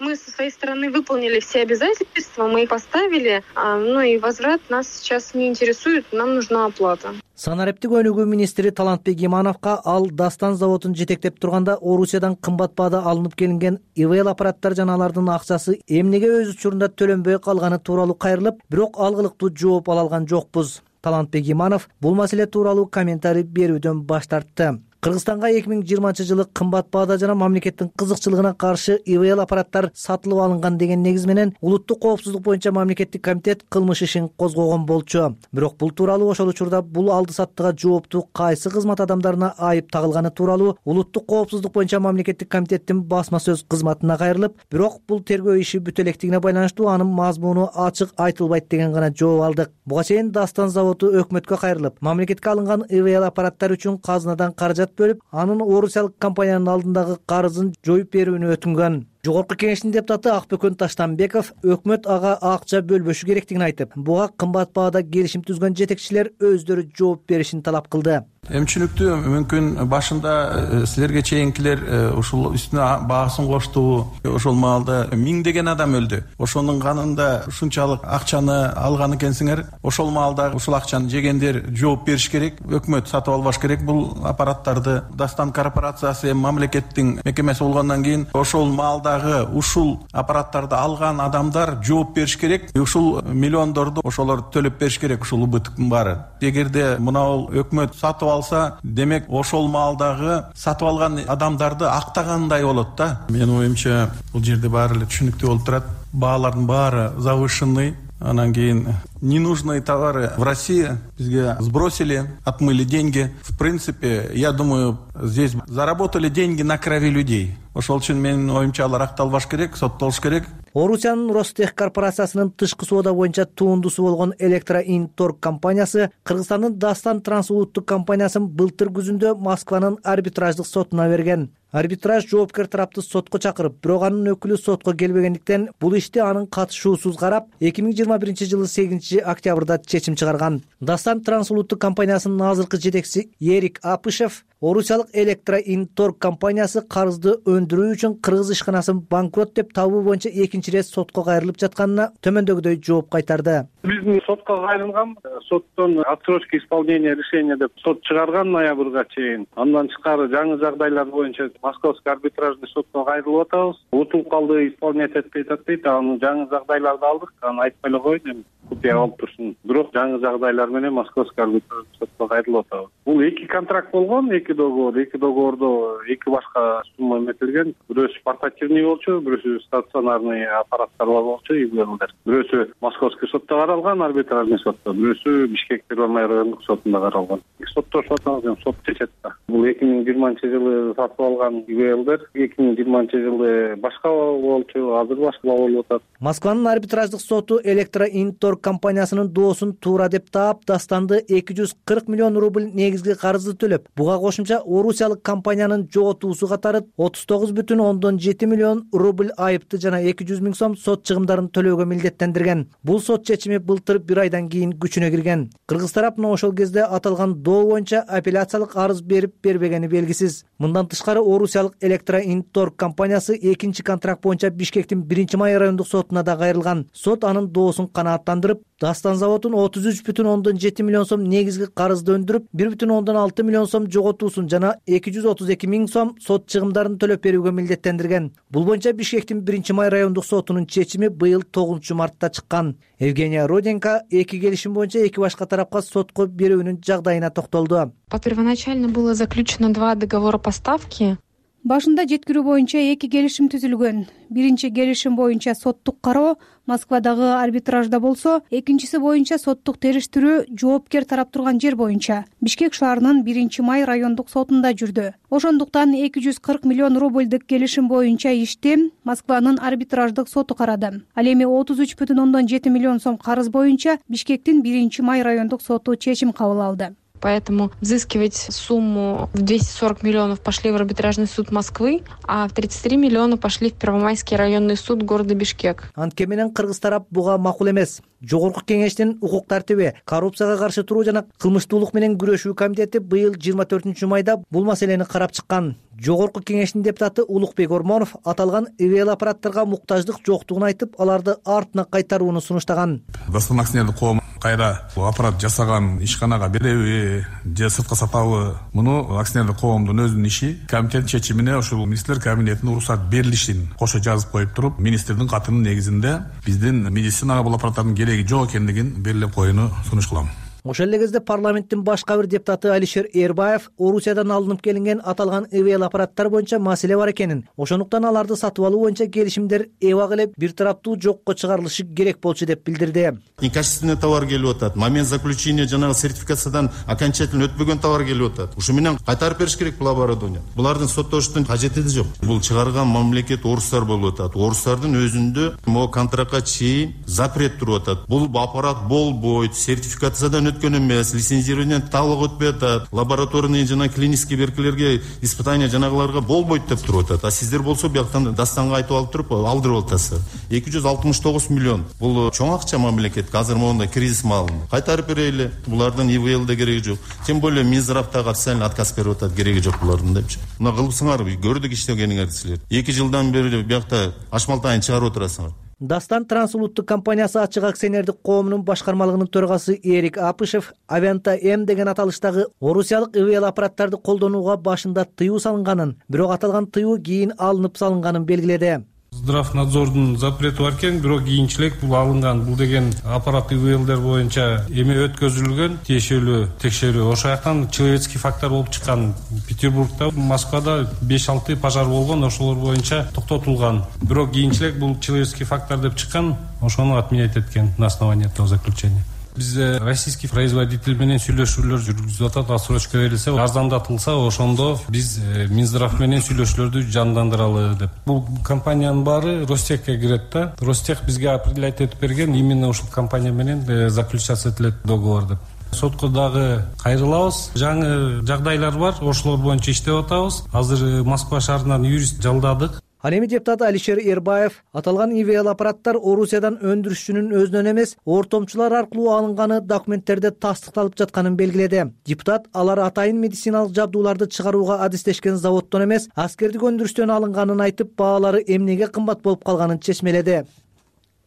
Мы со своей стороны выполнили все обязательства, мы их поставили, и возврат нас сейчас не интересует, нам нужна оплата. Санариптик өнүгүү министри Талантбек Имановго ал Дастан заводун жетектеп турганда Орусиядан кымбат баада алынып келинген ИВЛ аппараттар жана алардын акчасы эмнеге өз учурунда төлөнбөй калганы тууралуу кайрылып, бирок алгылыктуу жооп ала алган жокпуз. Талантбек Иманов бул маселе тууралуу комментарий берүүдөн баш тартты. Кыргызстанга 2020 кымбат баада жана мамлекеттин кызыкчылыгына каршы ИВЛ аппараттар сатылып алынган деген негиз менен улуттук коопсуздук боюнча мамлекеттик комитет кылмыш ишин козгогон болчу. Бирок бул тууралуу ошол учурда бул алды саттыга жооптуу кайсы кызмат адамдарына айып тагылганы тууралуу улуттук коопсуздук боюнча мамлекеттик комитеттин басма сөз кызматына кайрылып, бирок бул тергөө иши бүтө электигине байланыштуу анын мазмуну ачык айтылбайт деген гана жооп алдык. Буга чейин Дастан заводу өкмөткө кайрылып, мамлекетке алынган ИВЛ аппараттар үчүн казынадан каражат бөлүп, анын орусиялык компаниянын алдындагы карызын жоюп берүүнү өтүнгөн. Жогорку кеңештин депутаты Акбөкөн Таштанбеков өкмөт ага акча бөлбөшү керектигин айтып, буга кымбат баада келишим түзгөн жетекчилер өздөрү жооп беришин талап кылды. Эмчүнүктүү мүмкүн башында силерге чейинкилер ушул үстүнө баасын кошту. Ошол маалда миңдеген адам өлдү. Ошонун канында ушунчалык акчаны алган экенсиңер. Ошол маалда ушул акчаны жегендер жооп бериш керек. Өкмөт сатып албаш керек бул аппараттарды. Дастан корпорациясы мамлекеттин мекемеси болгондон кийин ошол маалдагы ушул аппараттарды алган адамдар жооп бериш керек. Ушул миллиондорду ошолор төлөп бериш керек, ушул убыттын баары. Эгерде мына өкмөт сатып алса, демек ошол маалдагы сатып алган адамдарды актагандай болот да. Менин оюмча бул жерде баары эле түшүнүктүү болуп турат. Баалардын баары завышенный. Анан кийин ненужные товары в России бизге сбросили, отмыли деньги. В принципе, я думаю, здесь заработали деньги на крови людей. Ошол үчүн менин оюмча алар акталбаш керек, соттолуш керек. Орусиянын Ростех корпорациясынын тышкы соода боюнча туундусу болгон Электроинторг компаниясы Кыргызстандын Дастан трансулуттук компаниясын былтыр күзүндө Москванын арбитраждык сотуна берген. Арбитраж жоопкер тарапты сотко чакырып, бирок анын өкүлү сотко келбегендиктен бул ишти анын катышуусуз карап, 2021 8 октябрда чечим чыгарган. Дастан трансулуттук компаниясынын азыркы жетекчиси Эрик Апышев Орусиялык Электроинторг компаниясы карызды өндүрүү үчүн кыргыз ишканасын банкрот деп табуу боюнча экинчи ирет сотко кайрылып жатканына төмөндөгүдөй жооп кайтарды. Биздин сотко кайрылган, соттон отсрочка исполнения решения деп сот чыгарган ноябрга чейин. Андан тышкары жаңы жагдайлар боюнча Московский арбитражный сотко кайрылып атабыз. Утулуп калды, исполнять этпей атат дейт. Анын жаңы жагдайларды алдык. Аны айтпай эле коеюн, купия алып турсун. Бирок жаңы жагдайлар менен Московский арбитражный сотко кайрылып атабыз. Бул эки контракт болгон, эки договордо эки башка сумма эметилген. Бирөөсү портативный болчу, бирөөсү стационарный аппараттар болчу, ИВЛдер. Бирөөсү Московский сотто каралган, арбитражный сотто, бирөөсү Бишкек Первомай райондук сотунда каралган. Соттошуп атабыз, сот чечет да. Бул 2020 сатып алган ИВЛдер 2020 башка болчу, азыр башка болуп атат. Москванын арбитраждык соту Электроинторг компаниясынын доосун туура деп таап, Дастанды 240 миллион рубль негизги карызды төлөп, буга кошумча орусиялык компаниянын жоготуусу катары 39,7 миллион рубль айыпты жана 200 миң сом сот чыгымдарын төлөөгө милдеттендирген. Бул сот чечими былтыр 1 айдан кийин күчүнө кирген. Кыргыз тарапына ошол кезде аталган доо боюнча апелляциялык арыз берип бербегени белгисиз. Мындан тышкары Орусиялык Электроинторг компаниясы экинчи контракт боюнча Бишкектин 1-май райондук сотуна да кайрылган. Сот анын доосун канааттандырып, Дастан заводун 33,7 миллион сом негизги карызды өндүрүп, 1,6 миллион сом жоготуусун жана 232 миң сом сот чыгымдарын төлөп берүүгө милдеттендирген. Бул боюнча Бишкектин 1-май райондук сотунун чечими быйыл 9-мартта чыккан. Евгения Руденко эки келишим боюнча эки башка тарапка сотко берүүнүн жагдайына токтолду. Первоначально было заключено 2 договора поставки. Башында жеткирүү боюнча эки келишим түзүлгөн. Биринчи келишим боюнча соттук кароо Москвадагы арбитражда болсо, экинчиси боюнча соттук териштирүү жоопкер тарап турган жер боюнча Бишкек шаарынын 1-май райондук сотунда жүрдү. Ошондуктан 240 миллион рубльдик келишим боюнча ишти Москванын арбитраждык соту карады. Ал эми 33,7 миллион сом карыз боюнча Бишкектин 1-май райондук соту чечим кабыл алды. Поэтому взыскивать сумму в 240 миллионов пошли в арбитражный суд Москвы, а в 33 миллиона пошли в Первомайский районный суд города Бишкек. Антке менен кыргыз тарап буга макул эмес. Жогорку кеңештин укук тартиби, коррупцияга каршы туруу жана кылмыштуулук менен күрөшүү комитети быйыл 24 майда бул маселени карап чыккан. Жогорку кеңештин депутаты Улукбек Ормонов аталган ИВЛ аппараттарга муктаждык жоктугун айтып, аларды артына кайтарууну сунуштаган. Дастан акционердик коом кайра бул аппарат жасаган ишканага береби же сыртка сатабы, муну акционердик коомдун өзүнүн иши. Комитет чечимине ушул министрлер кабинетине уруксат берилишин кошо жазып коюп туруп, министрдин катынын негизинде биздин медицинага бул аппараттардын кереги жок экендигин белгилеп коюуну сунуш кылам. Ошол эле кезде парламенттин башка бир депутаты Алишер Эрбаев Орусиядан алынып келинген аталган ИВЛ аппараттар боюнча маселе бар экенин, ошондуктан аларды сатып алуу боюнча келишимдер эбак эле бир тараптуу жокко чыгарылышы керек болчу деп билдирди. Некачественный товар келип атат. Момент заключения жанагы сертификациядан окончательно өтпөгөн товар келип атат. Ушу менен кайтарып бериш керек бул оборудование. Булардын соттоштун кажети жок. Бул чыгарган мамлекет орустар болуп атат. Орустардын өзүндө могу контрактка чейин запрет туруп атат. Бул аппарат болбойт, сертификациядан өткөн эмес, лицензирование талык өтпөй атат, лабораторный жана клинический беркилерге испытание жанагыларга болбойт деп туруп атат. А сиздер болсо бияктан Дастанга айтып алып туруп алдырып атасыздар. 269 миллион. Бул чоң акча мамлекетке азыр моундай кризис маалында. Кайтарып берели. Булардын ИВЛде кереги жок. Тем более Минздравтагы официально отказ берип атат, кереги жок булардын депчи. Мына кылыпсыңар, көрдүк иштегениңерди силер. 2 жылдан бери биякта ашмалтайын чыгарып отурасыңар. Дастан трансулуттук компаниясы ачык акционердик коомунун башкармалыгынын төрагасы Эрик Апышев Авианта М деген аталыштагы орусиялык ИВЛ аппараттарды колдонууга башында тыюу салынганын, бирок аталган тыюу кийин алынып салынганын белгиледи. Здравнадзордун запрети бар экен, бирок кийинчерээк бул алынган. Бул деген аппарат ИВЛдер боюнча эме өткөзүлгөн тиешелүү текшерүү. Ошол жактан человеческий фактор болуп чыккан. Петербургда, Москвада 5-6 пожар болгон, ошолор боюнча токтотулган. Бирок кийинчерээк бул человеческий фактор деп чыккан, ошону отменять эткен на основании этого заключения. Биз российский производитель менен сүйлөшүүлөр жүргүзүп атат. Отсрочка берилсе, арзандатылса, ошондо биз Минздрав менен сүйлөшүүлөрдү жандандыралы деп. Бул компаниянын баары Ростехке кирет да. Ростех бизге определять этип берген, именно ушул компания менен заключаться этилет договор деп. Сотко дагы кайрылабыз. Жаңы жагдайлар бар, ошолор боюнча иштеп атабыз. Азыр Москва шаарынан юрист жалдадык. Ал эми депутат Алишер Эрбаев аталган ИВЛ аппараттар Орусиядан өндүрүшчүнүн өзүнөн эмес, ортомчулар аркылуу алынганы документтерде тастыкталып жатканын белгиледи. Депутат алар атайын медициналык жабдууларды чыгарууга адистешкен заводдон эмес, аскердик өндүрүштөн алынганын айтып, баалары эмнеге кымбат болуп калганын чечмеледи.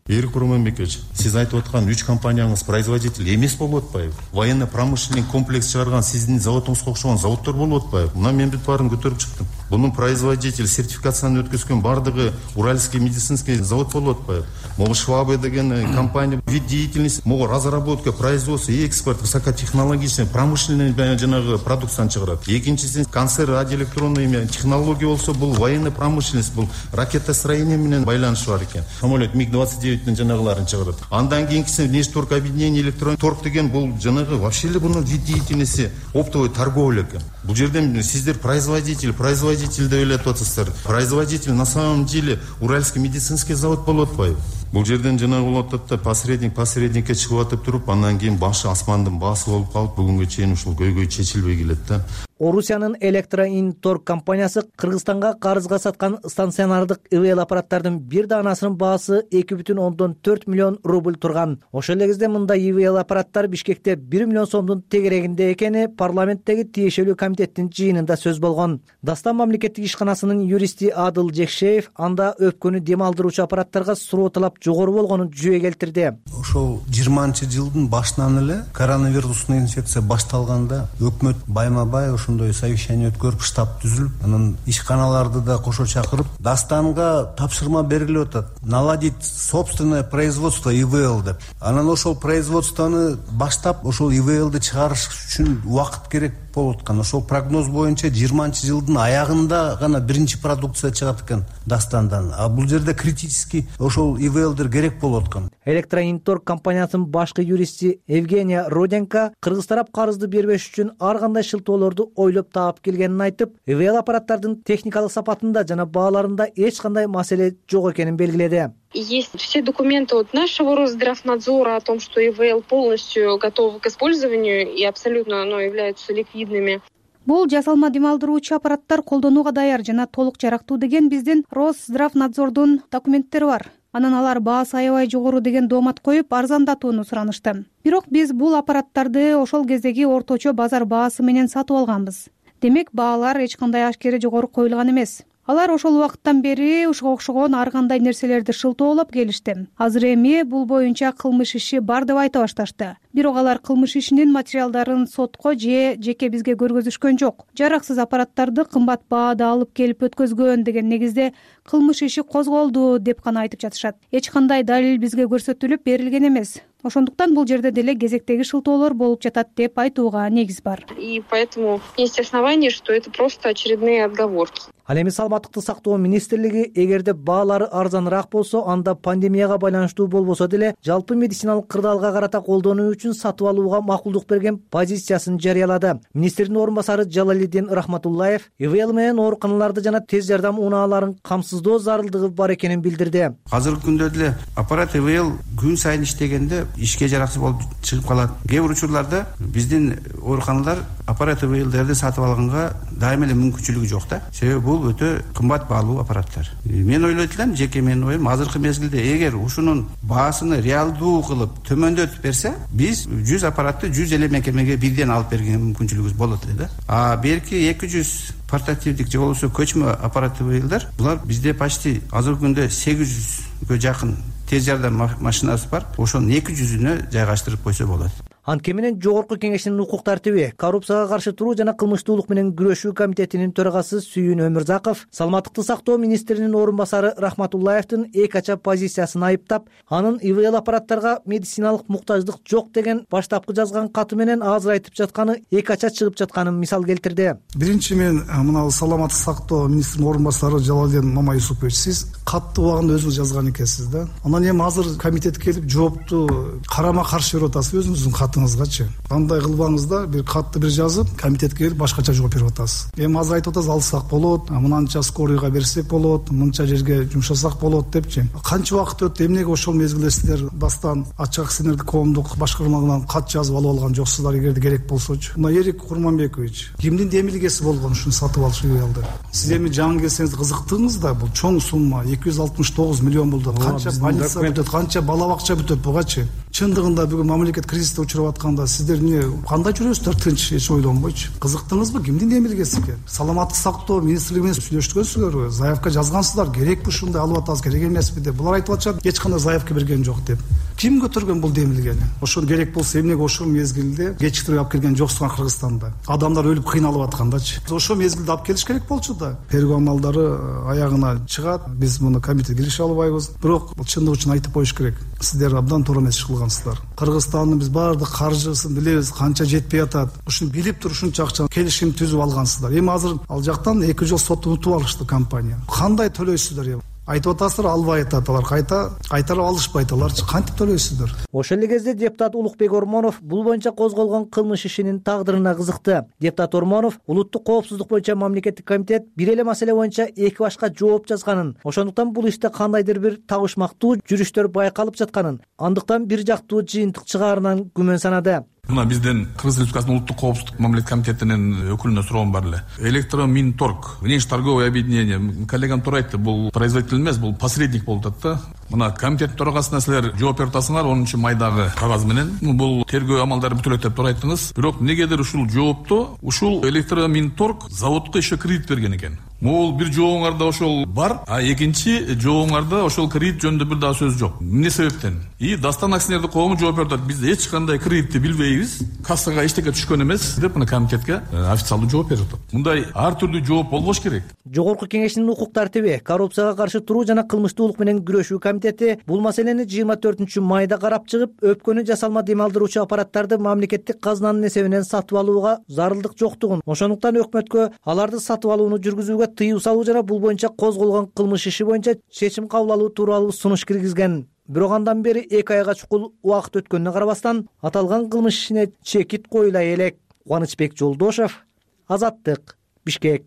Эрик Романбекович, сиз айтып аткан 3 компанияңыз производитель эмес болуп атпайбы? Военно-промышленный комплекс чыгарган сиздин заводуңузга окшогон заводдор болуп атпайбы? Мына мен бүт баарын көтөрүп чыктым. Бунун производитель сертификацияны өткөзгөн бардыгы Уральский медицинский завод болуп атпайбы? Могу Швабе деген компания вид деятельности, могу разработка, производство и экспорт высокотехнологичный промышленный жанагы продукцияны чыгарат. Экинчиси концерт радиоэлектронный технология болсо, бул военно-промышленность, бул ракетостроение менен байланышы бар экен. Самолет МиГ-29 жанагыларын чыгарат. Андан кийинкиси нефть-торг объединение электрон торг деген бул жанагы вообще эле бунун вид деятельности оптовой торговля экен. Бул жерден сиздер производитель деп элетип атасыздар. Производитель на самом деле Уральский медицинский завод болуп атпайбы? Бул жерден жанагы болуп атат да посредникке чыгып атып туруп, андан кийин башы асмандын баасы болуп калып, бүгүнгө чейин ушул көйгөй чечилбей келет да. Орусиянын Электроинторг компаниясы Кыргызстанга карызга саткан станционардык ИВЛ аппараттардын бир даанасынын баасы 2,4 миллион рубль турган. Ошол эле кезде мындай ИВЛ аппараттар Бишкекте 1 миллион сомдун тегерегинде экени парламенттеги тиешелүү комитеттин жыйынында сөз болгон. Дастан мамлекеттик ишканасынын юристи Адыл Жекшеев анда өпкөнү дем алдыруучу аппараттарга суроо талап жогору болгонун жүйө келтирди. Ошол 20-жылдын башынан эле коронавирустук инфекция башталганда өкмөт байма-бай ошондой совещание өткөрүп, штаб түзүлүп, анан ишканаларды да кошо чакырып, Дастанга тапшырма берилип атат. Наладить собственное производство ИВЛ деп. Анан ошол производствону баштап, ошол ИВЛди чыгарыш үчүн убакыт керек болуп аткан. Ошол прогноз боюнча 20-жылдын аягында гана биринчи продукция чыгат экен Дастандан. А бул жерде критически ошол ИВЛдер керек болуп аткан. Электроинторг компаниясынын башкы юристи Евгения Руденко Кыргыз тарап карызды бербеш үчүн ар кандай шылтоолорду ойлоп таап келгенин айтып, ИВЛ аппараттардын техникалык сапатында жана бааларында эч кандай маселе жок экенин белгиледи. Есть все документы от нашего Росздравнадзора о том, что ИВЛ полностью готовы к использованию и абсолютно являются ликвидными. Бул жасалма дем алдыруучу аппараттар колдонууга даяр жана толук жарактуу деген биздин Росздравнадзордун документтери бар. Анан алар баасы аябай жогору деген доомат коюп, арзандатууну суранышты. Бирок биз бул аппараттарды ошол кездеги орточо базар баасы менен сатып алганбыз. Демек баалар эч кандай ашкере жогору коюлган эмес. Алар ошол убакыттан бери ушуга окшогон ар кандай нерселерди шылтоолоп келишти. Азыр эми бул боюнча кылмыш иши бар деп айта башташты. Бирок алар кылмыш ишинин материалдарын сотко же жеке бизге көргөзүшкөн жок. Жараксыз аппараттарды кымбат баада алып келип өткөзгөн деген негизде кылмыш иши козголду деп гана айтып жатышат. Эч кандай далил бизге көрсөтүлүп берилген эмес. Ошондуктан бул жерде деле кезектеги шылтоолор болуп жатат деп айтууга негиз бар. И поэтому есть основания, что это просто очередные отговорки. Ал эми саламаттыкты сактоо министрлиги эгерде баалары арзаныраак болсо, анда пандемияга байланыштуу болбосо деле жалпы медициналык кырдаалга карата колдонуу үчүн сатып алууга макулдук берген позициясын жарыялады. Министрдин орун басары Жалалиддин Рахматуллаев ИВЛ менен ооруканаларды жана тез жардам унааларын камсыздоо зарылдыгы бар экенин билдирди. Азыркы күндө деле аппарат ИВЛ күн сайын иштегенде ишке жараксыз болуп чыгып калат. Кээ бир учурларда биздин ооруканалар аппарат ИВЛдерди сатып алганга дайыма эле мүмкүнчүлүгү жок да. Себеби бул өтө кымбат баалуу аппараттар. Мен ойлойт элем, жеке менин оюм, азыркы мезгилде эгер ушунун баасыны реалдуу кылып төмөндөтүп берсе, биз 100 аппаратты 100 эле мекемеге бирден алып берген мүмкүнчүлүгүбүз болот эле да. Берки 200 портативдик же болбосо көчмө аппарат ИВЛдер, булар бизде почти азыркы күндө 800гө жакын тез жардам машинасы бар. Ошонун 200-үнө жайгаштырып койсо болот. Анткени менен Жогорку кеңешинин укук тартиби, коррупцияга каршы туруу жана кылмыштуулук менен күрөшүү комитетинин төрагасы Сүйүн Өмүрзаков саламаттыкты сактоо министринин орун басары Рахматуллаевдин эки ача позициясын айыптап, анын ИВЛ аппараттарга медициналык муктаждык жок деген баштапкы жазган каты менен азыр айтып жатканы эки ача чыгып жатканын мисал келтирди. Биринчи мен мына саламаттык сактоо министринин орун басары Жалалиддин Мамаюсупович, сиз катты убагында өзүңүз жазган экенсиз да. Анан эми азыр комитет келип жоопту карама каршы берип атасыз өзүңүздүн катыңызгачы. Кандай кылбаңыз да бир катты бир жазып, комитетке келип башкача жооп берип атасыз. Эми азыр айтып атасыз, алсак болот, мынанча скорыйга берсек болот, мынча жерге жумшасак болот депчи. Канча убакыт өттү, эмнеге ошол мезгилде сиздер бастан ачык акционердик коомдук башкармалыгынан кат жазып алып алган жоксуздар эгерде керек болсочу? Мына Эрик Курманбекович, кимдин демилгеси болгон ушуну сатып алыш ИВЛды? Сиз эми жаңы келсеңиз кызыктыңыз да, бул чоң сумма 269 миллион болду. Канча больница бүтөт, канча бала бакча бүтөт бугачы. Чындыгында бүгүн мамлекет кризисте учуруп атканда сиздер эмне кандай жүрөсүздөр, тынч эч ойлонбойчу? Кызыктыңызбы, кимдин демилгеси экен? Саламаттык сактоо министрлиги менен сүйлөшкөнсүзөрбү? Заявка жазгансыздар, керекпи ушундай алып атабыз, керек эмеспи деп. Булар айтып атышат, эч кандай заявка берген жок деп. Ким көтөргөн бул демилгени? Ошон керек болсо эмнеге ошол мезгилде кечиктирип алып келген жоксуңар Кыргызстанда? Адамдар өлүп кыйналып аткандачы. Ошол мезгилде алып келиш керек болчу да. Тергөө амалдары аягына чыгат. Биз муну комитет кирише албайбыз. Бирок чындык үчүн айтып коюш керек. Сиздер абдан туура эмес иш кылгансыздар. Кыргызстандын биз баардык каржысын билебиз, канча жетпей атат. Ушуну билип туруп ушунча акча келишим түзүп алгансыздар. Эми азыр ал жактан 2 жыл сот утуп алышты компания. Кандай төлөйсүздөр? Айтып атасыздар, албай атат, алар кайтарып алышпайт, аларчы кантип төлөйсүздөр? Ошол эле кезде депутат Улукбек Ормонов бул боюнча козголгон кылмыш ишинин тагдырына кызыкты. Депутат Ормонов улуттук коопсуздук боюнча мамлекеттик комитет бир эле маселе боюнча эки башка жооп жазганын, ошондуктан бул иште кандайдыр бир табышмактуу жүрүштөр байкалып жатканын, андыктан бир жактуу жыйынтык чыгаарынан күмөн санады. Мына бизден Кыргыз Республикасынын улуттук коопсуздук мамлекеттик комитетинин өкүлүнө суроом бар эле. Электроминторг, внешторговое объединение, коллегам туура айтты, бул производитель эмес, бул посредник болуп атат да. Мына комитет төрагасына силер жооп берип атасыңар 10 майдагы кагаз менен. Бул тергөө амалдары бүтүлөт деп туура айттыңыз. Бирок негедир ушул жоопту ушул электроминторг заводко еще кредит берген экен. Могул бир жообуңарда ошол бар, а экинчи жообуңарда ошол кредит жөнүндө бир дагы сөз жок. Эмне себептен? И Дастан акционердик коому жооп берип атат. Биз эч кандай кредитти билбейбиз, кассага эчтеке түшкөн эмес деп мына комитетке официалдуу жооп берип атат. Мындай ар түрдүү жооп болбош керек. Жогорку кеңешинин укук тартиби, коррупцияга каршы туруу жана кылмыштуулук менен күрөшүү комитети бул маселени 24 майда карап чыгып, өпкөнү жасалма дем алдыруучу аппараттарды мамлекеттик казынанын эсебинен сатып алууга зарылдык жоктугун, ошондуктан өкмөткө аларды сатып алууну жүргүзүүгө тыюу салуу жана бул боюнча козголгон кылмыш иши боюнча чечим кабыл алуу тууралуу сунуш киргизген. Бирок андан бери 2 айга чукул убакыт өткөнүнө карабастан аталган кылмыш ишине чекит коюлай элек. Кубанычбек Жолдошев, Азаттык, Бишкек.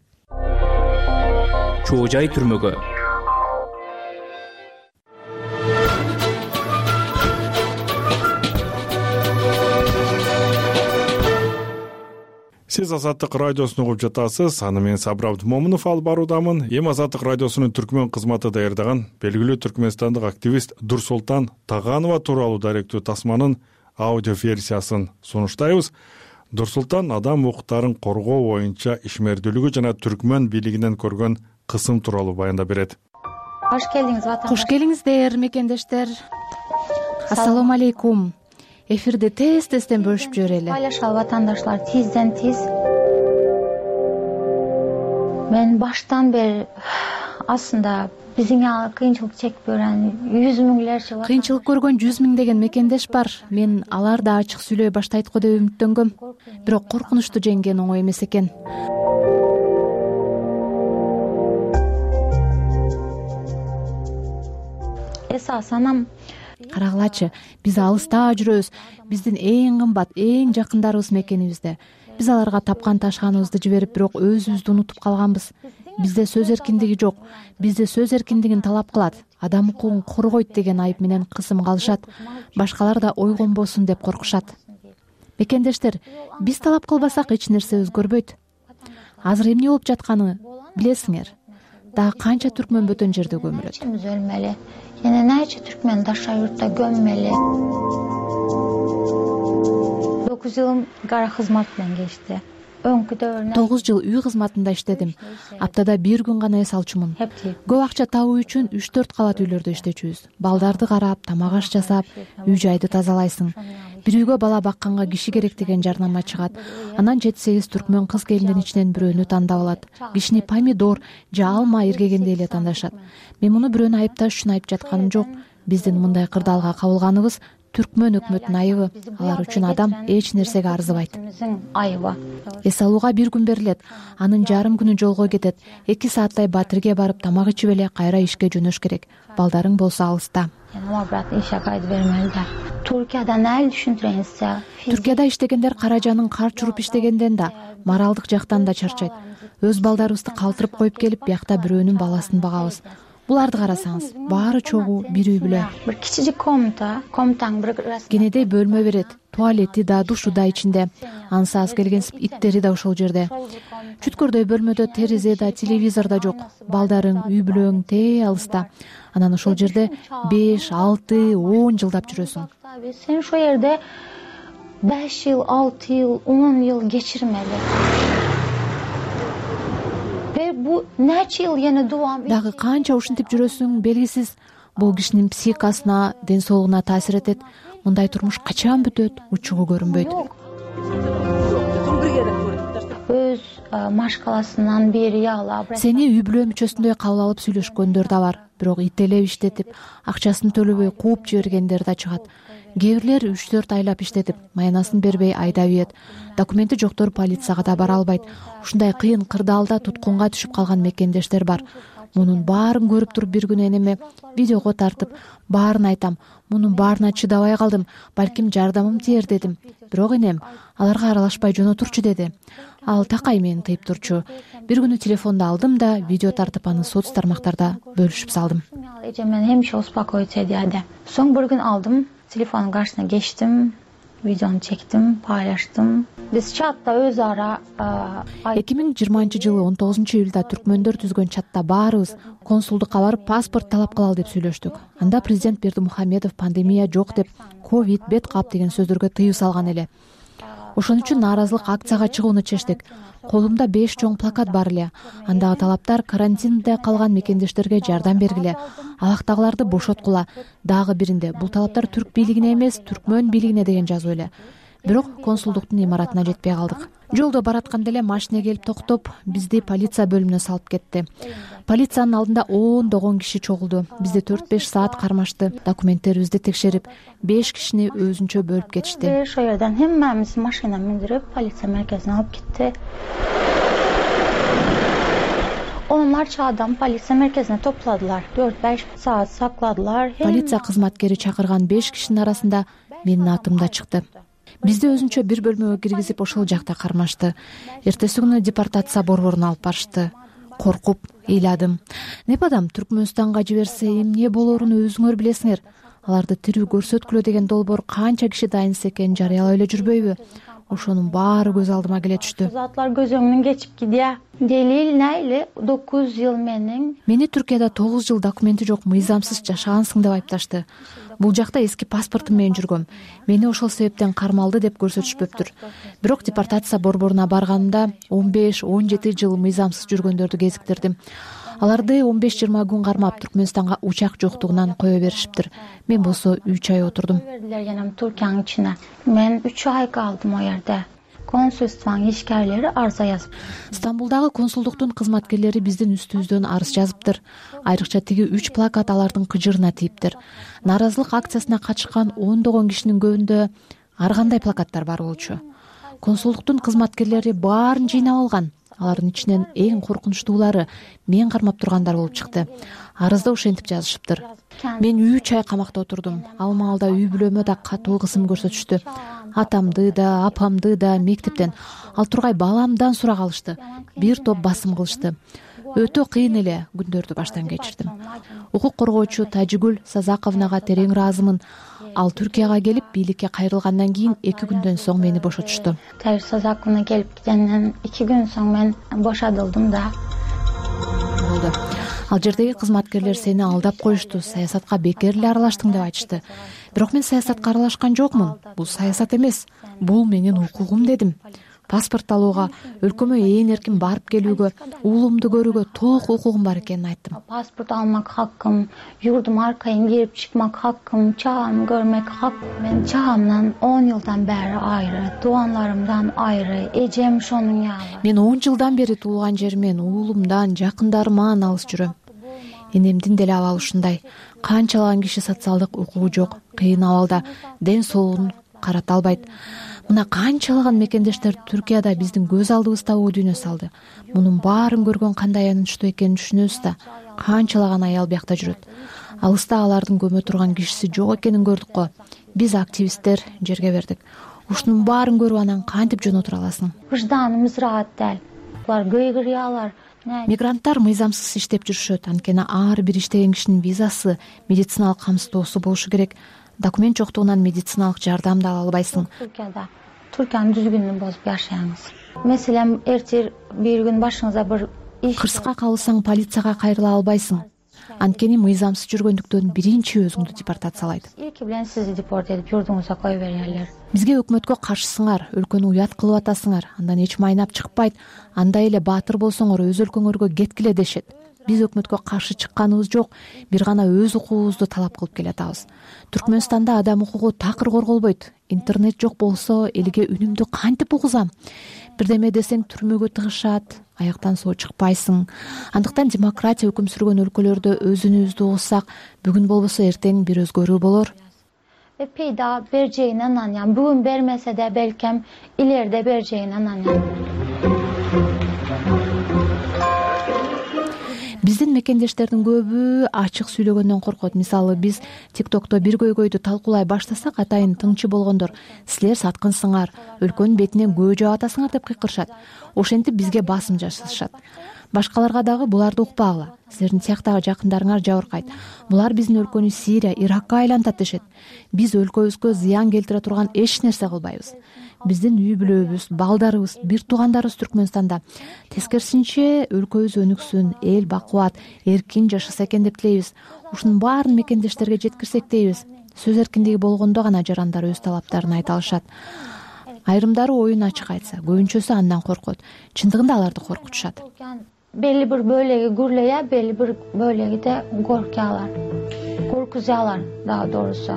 Чоо жай түрмөгө. Сиз Азаттык радиосун угуп жатасыз. Аны мен Сабыр Абдымомунов алып баруудамын. Эми Азаттык радиосунун түркмөн кызматы даярдаган белгилүү түркмөнстандык активист Дурсултан Таганова тууралуу даректүү тасманын аудио версиясын сунуштайбыз. Дурсултан адам укуктарын коргоо боюнча ишмердүүлүгү жана түркмөн бийлигинен көргөн кысым тууралуу баяндап берет. Кош келиңиз, кош келиңиздер мекендештер. Ассалому алейкум. Эфирди тез-тезден бөлүшүп жиберели. Байлашалы ватандаштар, тизден тиз. Мен баштан бери аслында бизиңе кыйынчылык чекип көргөн 100 миңдерче кыйынчылык көргөн 100 миңдеген мекендеш бар. Мен алар да ачык сүйлөй баштайт го деп үмүттөнгөм. Бирок коркунучту жеңген оңой эмес экен. Эсас анам карагылачы, биз алыста жүрөбүз. Биздин эң кымбат, эң жакындарыбыз мекенибизде. Биз аларга тапкан ташканыбызды жиберип, бирок өзүбүздү унутуп калганбыз. Бизде сөз эркиндиги жок. Бизде сөз эркиндигин талап кылат. Адам укугун коргойт деген айып менен кысым кылышат. Башкалар да ойгонбосун деп коркушат. Мекендештер, биз талап кылбасак эч нерсе өзгөрбөйт. Азыр эмне болуп жатканын билесиңер. Дагы канча түркмөн бөтөн жерде көмүлөт. Өлмөлү. Yana нече түркмөн даша юртта gömmeli. 9 жылым кара кызмат менен кечти. 9 жыл үй кызматында иштедим. Аптада 1 күн гана эс алчумун. Көп акча табуу үчүн 3-4 калат үйлөрдө иштечүбүз. Балдарды карап, тамак аш жасап, үй-жайды тазалайсың. Бир үйгө бала бакканга киши керек деген жарнама чыгат. Анан 7-8 түркмөн кыз келиндин ичинен бирөөнү тандап алат. Кишини помидор же алма эргегенде эле тандашат. Мен муну бирөөнү айыпташ үчүн айып жатканым жок. Биздин мындай кырдаалга кабылганыбыз түркмөн өкмөтүнүн айыбы. Алар үчүн адам эч нерсеге арзыбайт. Айыбы. Эс алууга 1 күн берилет. Анын жарым күнү жолго кетет. 2 сааттай батирге барып тамак ичип эле кайра ишке жөнөш керек. Балдарың болсо алыста. Туркияда нел түшүндүрөңүзчү? Туркияда иштегендер каражанын кар чуруп иштегенден да, моралдык жактан да чарчайт. Өз балдарыбызды калтырып коюп келип, биякта бирөөнүн баласын багабыз. Буларды карасаңыз, баары чогуу бир үй бүлө. Бир кичичик комнатаң бир кенедей бөлмө берет. Туалети да, душу да ичинде. Ансыз келгенсип иттери да ошол жерде. Чүткөрдөй бөлмөдө терезе да, телевизор да жок. Балдарың, үй бүлөң тээ алыста. Анан ошол жерде 5, 6, 10 жылдап жүрөсүң. Сен ошол жерде 5 жыл, 6 жыл, 10 жыл кечирмели. Бу нече жыл yana дувам. Дагы канча ушинтип жүрөсүң белгисиз. Бул кишинин психикасына, ден соолугуна таасир этет. Мындай турмуш качан бүтөт, учугу көрүнбөйт. Өз машкаласынан бери алып, сени үй бүлө мүчөсүндөй кабыл алып сүйлөшкөндөр да бар. Бирок ителеп иштетип, акчасын төлөбөй кууп жибергендер да чыгат. Кээ бирлер 3-4 айлап иштетип, маянасын бербей айдап ийет. Документи жоктор полицияга да бара албайт. Ушундай кыйын кырдаалда туткунга түшүп калган мекендештер бар. Мунун баарын көрүп туруп бир күнү энеме видеого тартып, баарын айтам. Мунун баарына чыдабай калдым. Балким жардамым тиер дедим. Бирок энем аларга аралашпай жөнөтүрчү деди. Ал такай мени тыйып турчу. Бир күнү телефонду алдым да видео тартып аны соц тармактарда бөлүшүп салдым. Мен хемше успокоить эди. Соң бир күн алдым, телефонун каршысына кечтим, видеону чектим, пайлаштым. Биз чатта өз ара 2020-жылы 19-июлда түркмөндөр түзгөн чатта баарыбыз консулдукка барып паспорт талап кылалы деп сүйлөштүк. Анда президент Бердимухамедов пандемия жок деп, ковид, бет кап деген сөздөргө тыюу салган эле. Ошон үчүн нааразылык акцияга чыгууну чечтик. Колумда 5 чоң плакат бар эле. Андагы талаптар карантинде калган мекендештерге жардам бергиле, алактагыларды бошоткула. Дагы биринде бул талаптар түрк бийлигине эмес, түркмөн бийлигине деген жазуу эле. Бирок консулдуктун имаратына жетпей калдык. Жолдо баратканда эле машина келип токтоп, бизди полиция бөлүмүнө салып кетти. Полициянын алдында ондогон киши чогулду. Бизди 4-5 саат кармашты. Документтерибизди текшерип, 5 кишини өзүнчө бөлүп кетишти. Ошол жерден хэммемиз машина миндирип, полиция мерkezине алып кетти. Onlarca адам полиция мерkezине топладылар. 4-5 саат сакладылар. Полиция кызматкери чакырган 5 кишинин арасында менин атым да чыкты. Бизди өзүнчө бир бөлмөгө киргизип ошол жакта кармашты. Эртеси күнү депортация борборуна алып барышты. Коркуп ыйладым. Непадам Түркмөнстанга жиберсе эмне болорун өзүңөр билесиңер. Аларды тирүү көрсөткүлө деген долбоор канча киши дайынса экенин жарыялап эле жүрбөйбү? Ошонун баары көз алдыма келе түштү. Затлар көзөңдөн кечип кидия. Делил найли 9 жыл Мени Түркияда 9 жыл документи жок мыйзамсыз жашагансың деп айыпташты. Бул жакта эски паспортум менен жүргөм. Мени ошол себептен кармалды деп көрсөтүшпөптүр. Бирок депортация борборуна барганымда 15-17 жыл мыйзамсыз жүргөндөрдү кезиктирдим. Аларды 15-20 күн кармап Түркмөнстанга учак жоктугунан кое беришиптир. Мен болсо 3 ай отурдум. Түркиянын ичине. Мен 3 ай калдым о жерде. Консулствонун ишкерлери арыз жазып. Стамбулдагы консулдуктун кызматкерлери биздин үстүбүздөн арыз жазыптыр. Айрыкча тиги 3 плакат алардын кыжырына тийиптир. Нааразылык акциясына катышкан ондогон кишинин көбүндө ар кандай плакаттар бар болчу. Консулдуктун кызматкерлери баарын жыйнап алган. Алардын ичинен эң коркунучтуулары мен кармап тургандар болуп чыкты. Арызда ошентип жазышыптыр. Мен 3 ай камакта отурдум. Ал маалда үй бүлөмө да катуу кысым көрсөтүштү. Атамды да, апамды да мектептен, ал тургай баламдан сурак алышты. Бир топ басым кылышты. Өтө кыйын эле күндөрдү баштан кечирдим. Укук коргоочу Тажигүл Сазаковнага терең ыраазымын. Ал Түркияга келип бийликке кайрылгандан кийин 2 күндөн соң мени бошотушту. Тажигүл Сазаковна келип кеткенден 2 күн соң мен бошотулдум да. Болду. Ал жердеги кызматкерлер сени алдап коюшту, саясатка бекер эле аралаштың деп айтышты. Бирок мен саясатка аралашкан жокмун. Бул саясат эмес. Бул менин укугум дедим. Паспорт алууга, өлкөмө ээн эркин барып келүүгө, уулумду көрүүгө толук укугум бар экенин айттым. Паспорт алмак хакым, юрдум аркайын кирип чыкмак хакым, чагам көрмөк хакым. Мен чагамдан 10 жылдан бери айры, туугандарымдан айры, эжем ошонун ягы. Мен 10 жылдан бери туулган жеримден, уулумдан, жакындарыман алыс жүрөм. Энемдин деле абалы ушундай. Канчалаган киши социалдык укугу жок, кыйын абалда, ден соолугун карата албайт. Мына канчалаган мекендештер Түркияда биздин көз алдыбызда оо дүйнө салды. Мунун баарын көргөн кандай аянычтуу экенин түшүнөбүз да. Канчалаган аял биякта жүрөт. Алыста алардын көмө турган кишиси жок экенин көрдүк го. Биз активисттер жерге бердик. Ушунун баарын көрүп анан кантип жөн отура аласың? Выжданымыз раат дел. Булар кыйгырыялар. Мигранттар мыйзамсыз иштеп жүрүшөт. Анткени ар бир иштеген кишинин визасы, медициналык камсыздоосу болушу керек. Документ жоктугунан медициналык жардам да ала албайсың. Түркиянын дүзгүнүн бозуп жашайбыз. Меселен, эртең бир күн башыңызда бир кырсыкка калсаң полицияга кайрыла албайсың. Анткени мыйзамсыз жүргөндүктөн биринчи өзүңдү депортациялайт. Эки билен сизди депорт этип журдуңузга кое берерлер. Бизге өкмөткө каршысыңар, өлкөнү уят кылып атасыңар, андан эч майнап чыкпайт. Андай эле баатыр болсоңор өз өлкөңөргө кеткиле дешет. Биз өкмөткө каршы чыкканыбыз жок, бир гана өз укугубузду талап кылып келатабыз. Түркмөнстанда адам укугу такыр корголбойт. Интернет жок болсо элге үнүмдү кантип угузам? Бирдеме десең түрмөгө тыгышат, аяктан соо чыкпайсың. Андыктан демократия өкүм сүргөн өлкөлөрдө өзүнүбүздү угузсак, бүгүн болбосо эртең бир өзгөрүү болор. Peyda bereceğine inanıyorum. Bugün vermese de belki ileride bereceğine inanıyorum. Биздин мекендештердин көбү ачык сүйлөгөндөн коркот. Мисалы, биз TikTokто бир көйгөйдү талкуулай баштасак, атайын тыңчы болгондор силер саткынсыңар, өлкөнүн бетинен көө жаап атасыңар деп кыйкырышат. Ошентип бизге басым жасашат. Башкаларга дагы буларды укпагыла. Силердин сыяктагы жакындарыңар жабыркайт. Булар биздин өлкөнү Сирия, Иракка айлантат дешет. Биз өлкөбүзгө зыян келтире турган эч нерсе кылбайбыз. Биздин үй бүлөбүз, балдарыбыз, бир туугандарыбыз Түркмөнстанда. Тескерисинче өлкөбүз өнүксүн, эл бакубат, эркин жашаса экен деп тилейбиз. Ушунун баарын мекендештерге жеткирсек дейбиз. Сөз эркиндиги болгондо гана жарандар өз талаптарын айта алышат. Айрымдары оюн ачык айтса, көбүнчөсү андан коркот. Чындыгында аларды коркутушат. Belli bir bölegi gürleye, belli bir bölegi de korkuyorlar. Korkuyorlar daha doğrusu.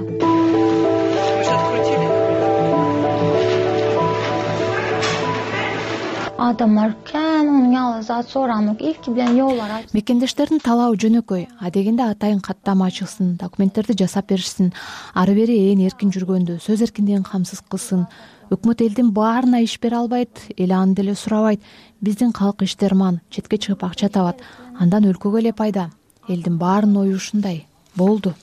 Adamlar onun yalnız soranlık ilk bilen yollar aç. Мекендештердин талабы жөнөкөй. Адегенде атайын каттама ачылсын, документтерди жасап беришсин, ары бери ээн эркин жүргөндө сөз эркиндигин камсыз кылсын. Өкмөт элдин баарына иш бере албайт, эл аны деле сурабайт. Биздин калк иштерман, четке чыгып акча табат. Андан өлкөгө эле пайда. Элдин баарынын ою ушундай. Болду.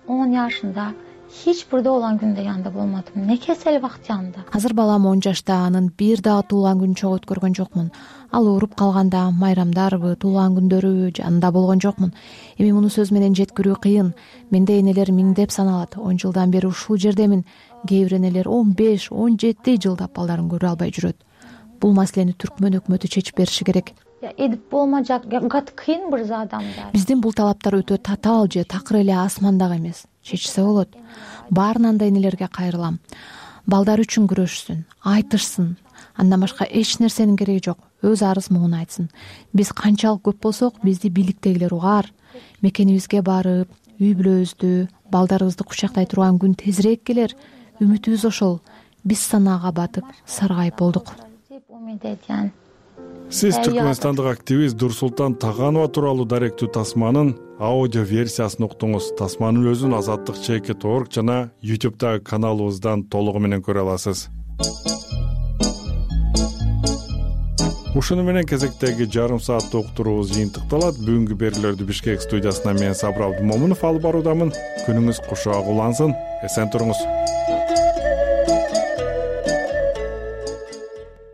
10 yaşında Hiç burada olan günde yanında bulmadım. Ne kesel vakti yanında. Азыр балам 10 жашта, анын бир дагы туулган күнүн чогуу өткөргөн жокмун. Ал ооруп калганда майрамдарбы, туулган күндөрүбү жанында болгон жокмун. Эми муну сөз менен жеткирүү кыйын. Менде энелер миңдеп саналат. 10 жылдан бери ушул жердемин. Кээ бир энелер 15, 17 жылдап балдарын көрө албай жүрөт. Бул маселени Түркмөн өкмөтү чечип бериши керек. Edip болмажак, кыйын bir адамдар. Биздин бул талаптар өтө татаал же такыр эле асмандагы эмес. Чечсе болот. Баарынан да энелерге кайрылам. Балдар үчүн күрөшсүн, айтышсын. Андан башка эч нерсенин кереги жок. Өз арыз муңун айтсын. Биз канчалык көп болсок, бизди бийликтегилер угар. Мекенибизге барып, үй бүлөбүздү, балдарыбызды кучактай турган күн тезирээк келер. Үмүтүбүз ошол. Биз санаага батып, саргайып болдук. Сиз Түркмөнстандык активист Дурсултан Таганова тууралуу даректүү тасманын аудио версиясын уктуңуз. Тасманын өзүн azatlyk.org жана YouTube'дагы каналыбыздан толугу менен көрө аласыз. Ушуну менен кезектеги жарым сааттык уктуруубуз жыйынтыкталат. Бүгүнкү берүүлөрдү Бишкек студиясынан мен Сабыр Абдымомунов алып баруудамын. Күнүңүз кушак улансын. Эсен туруңуз.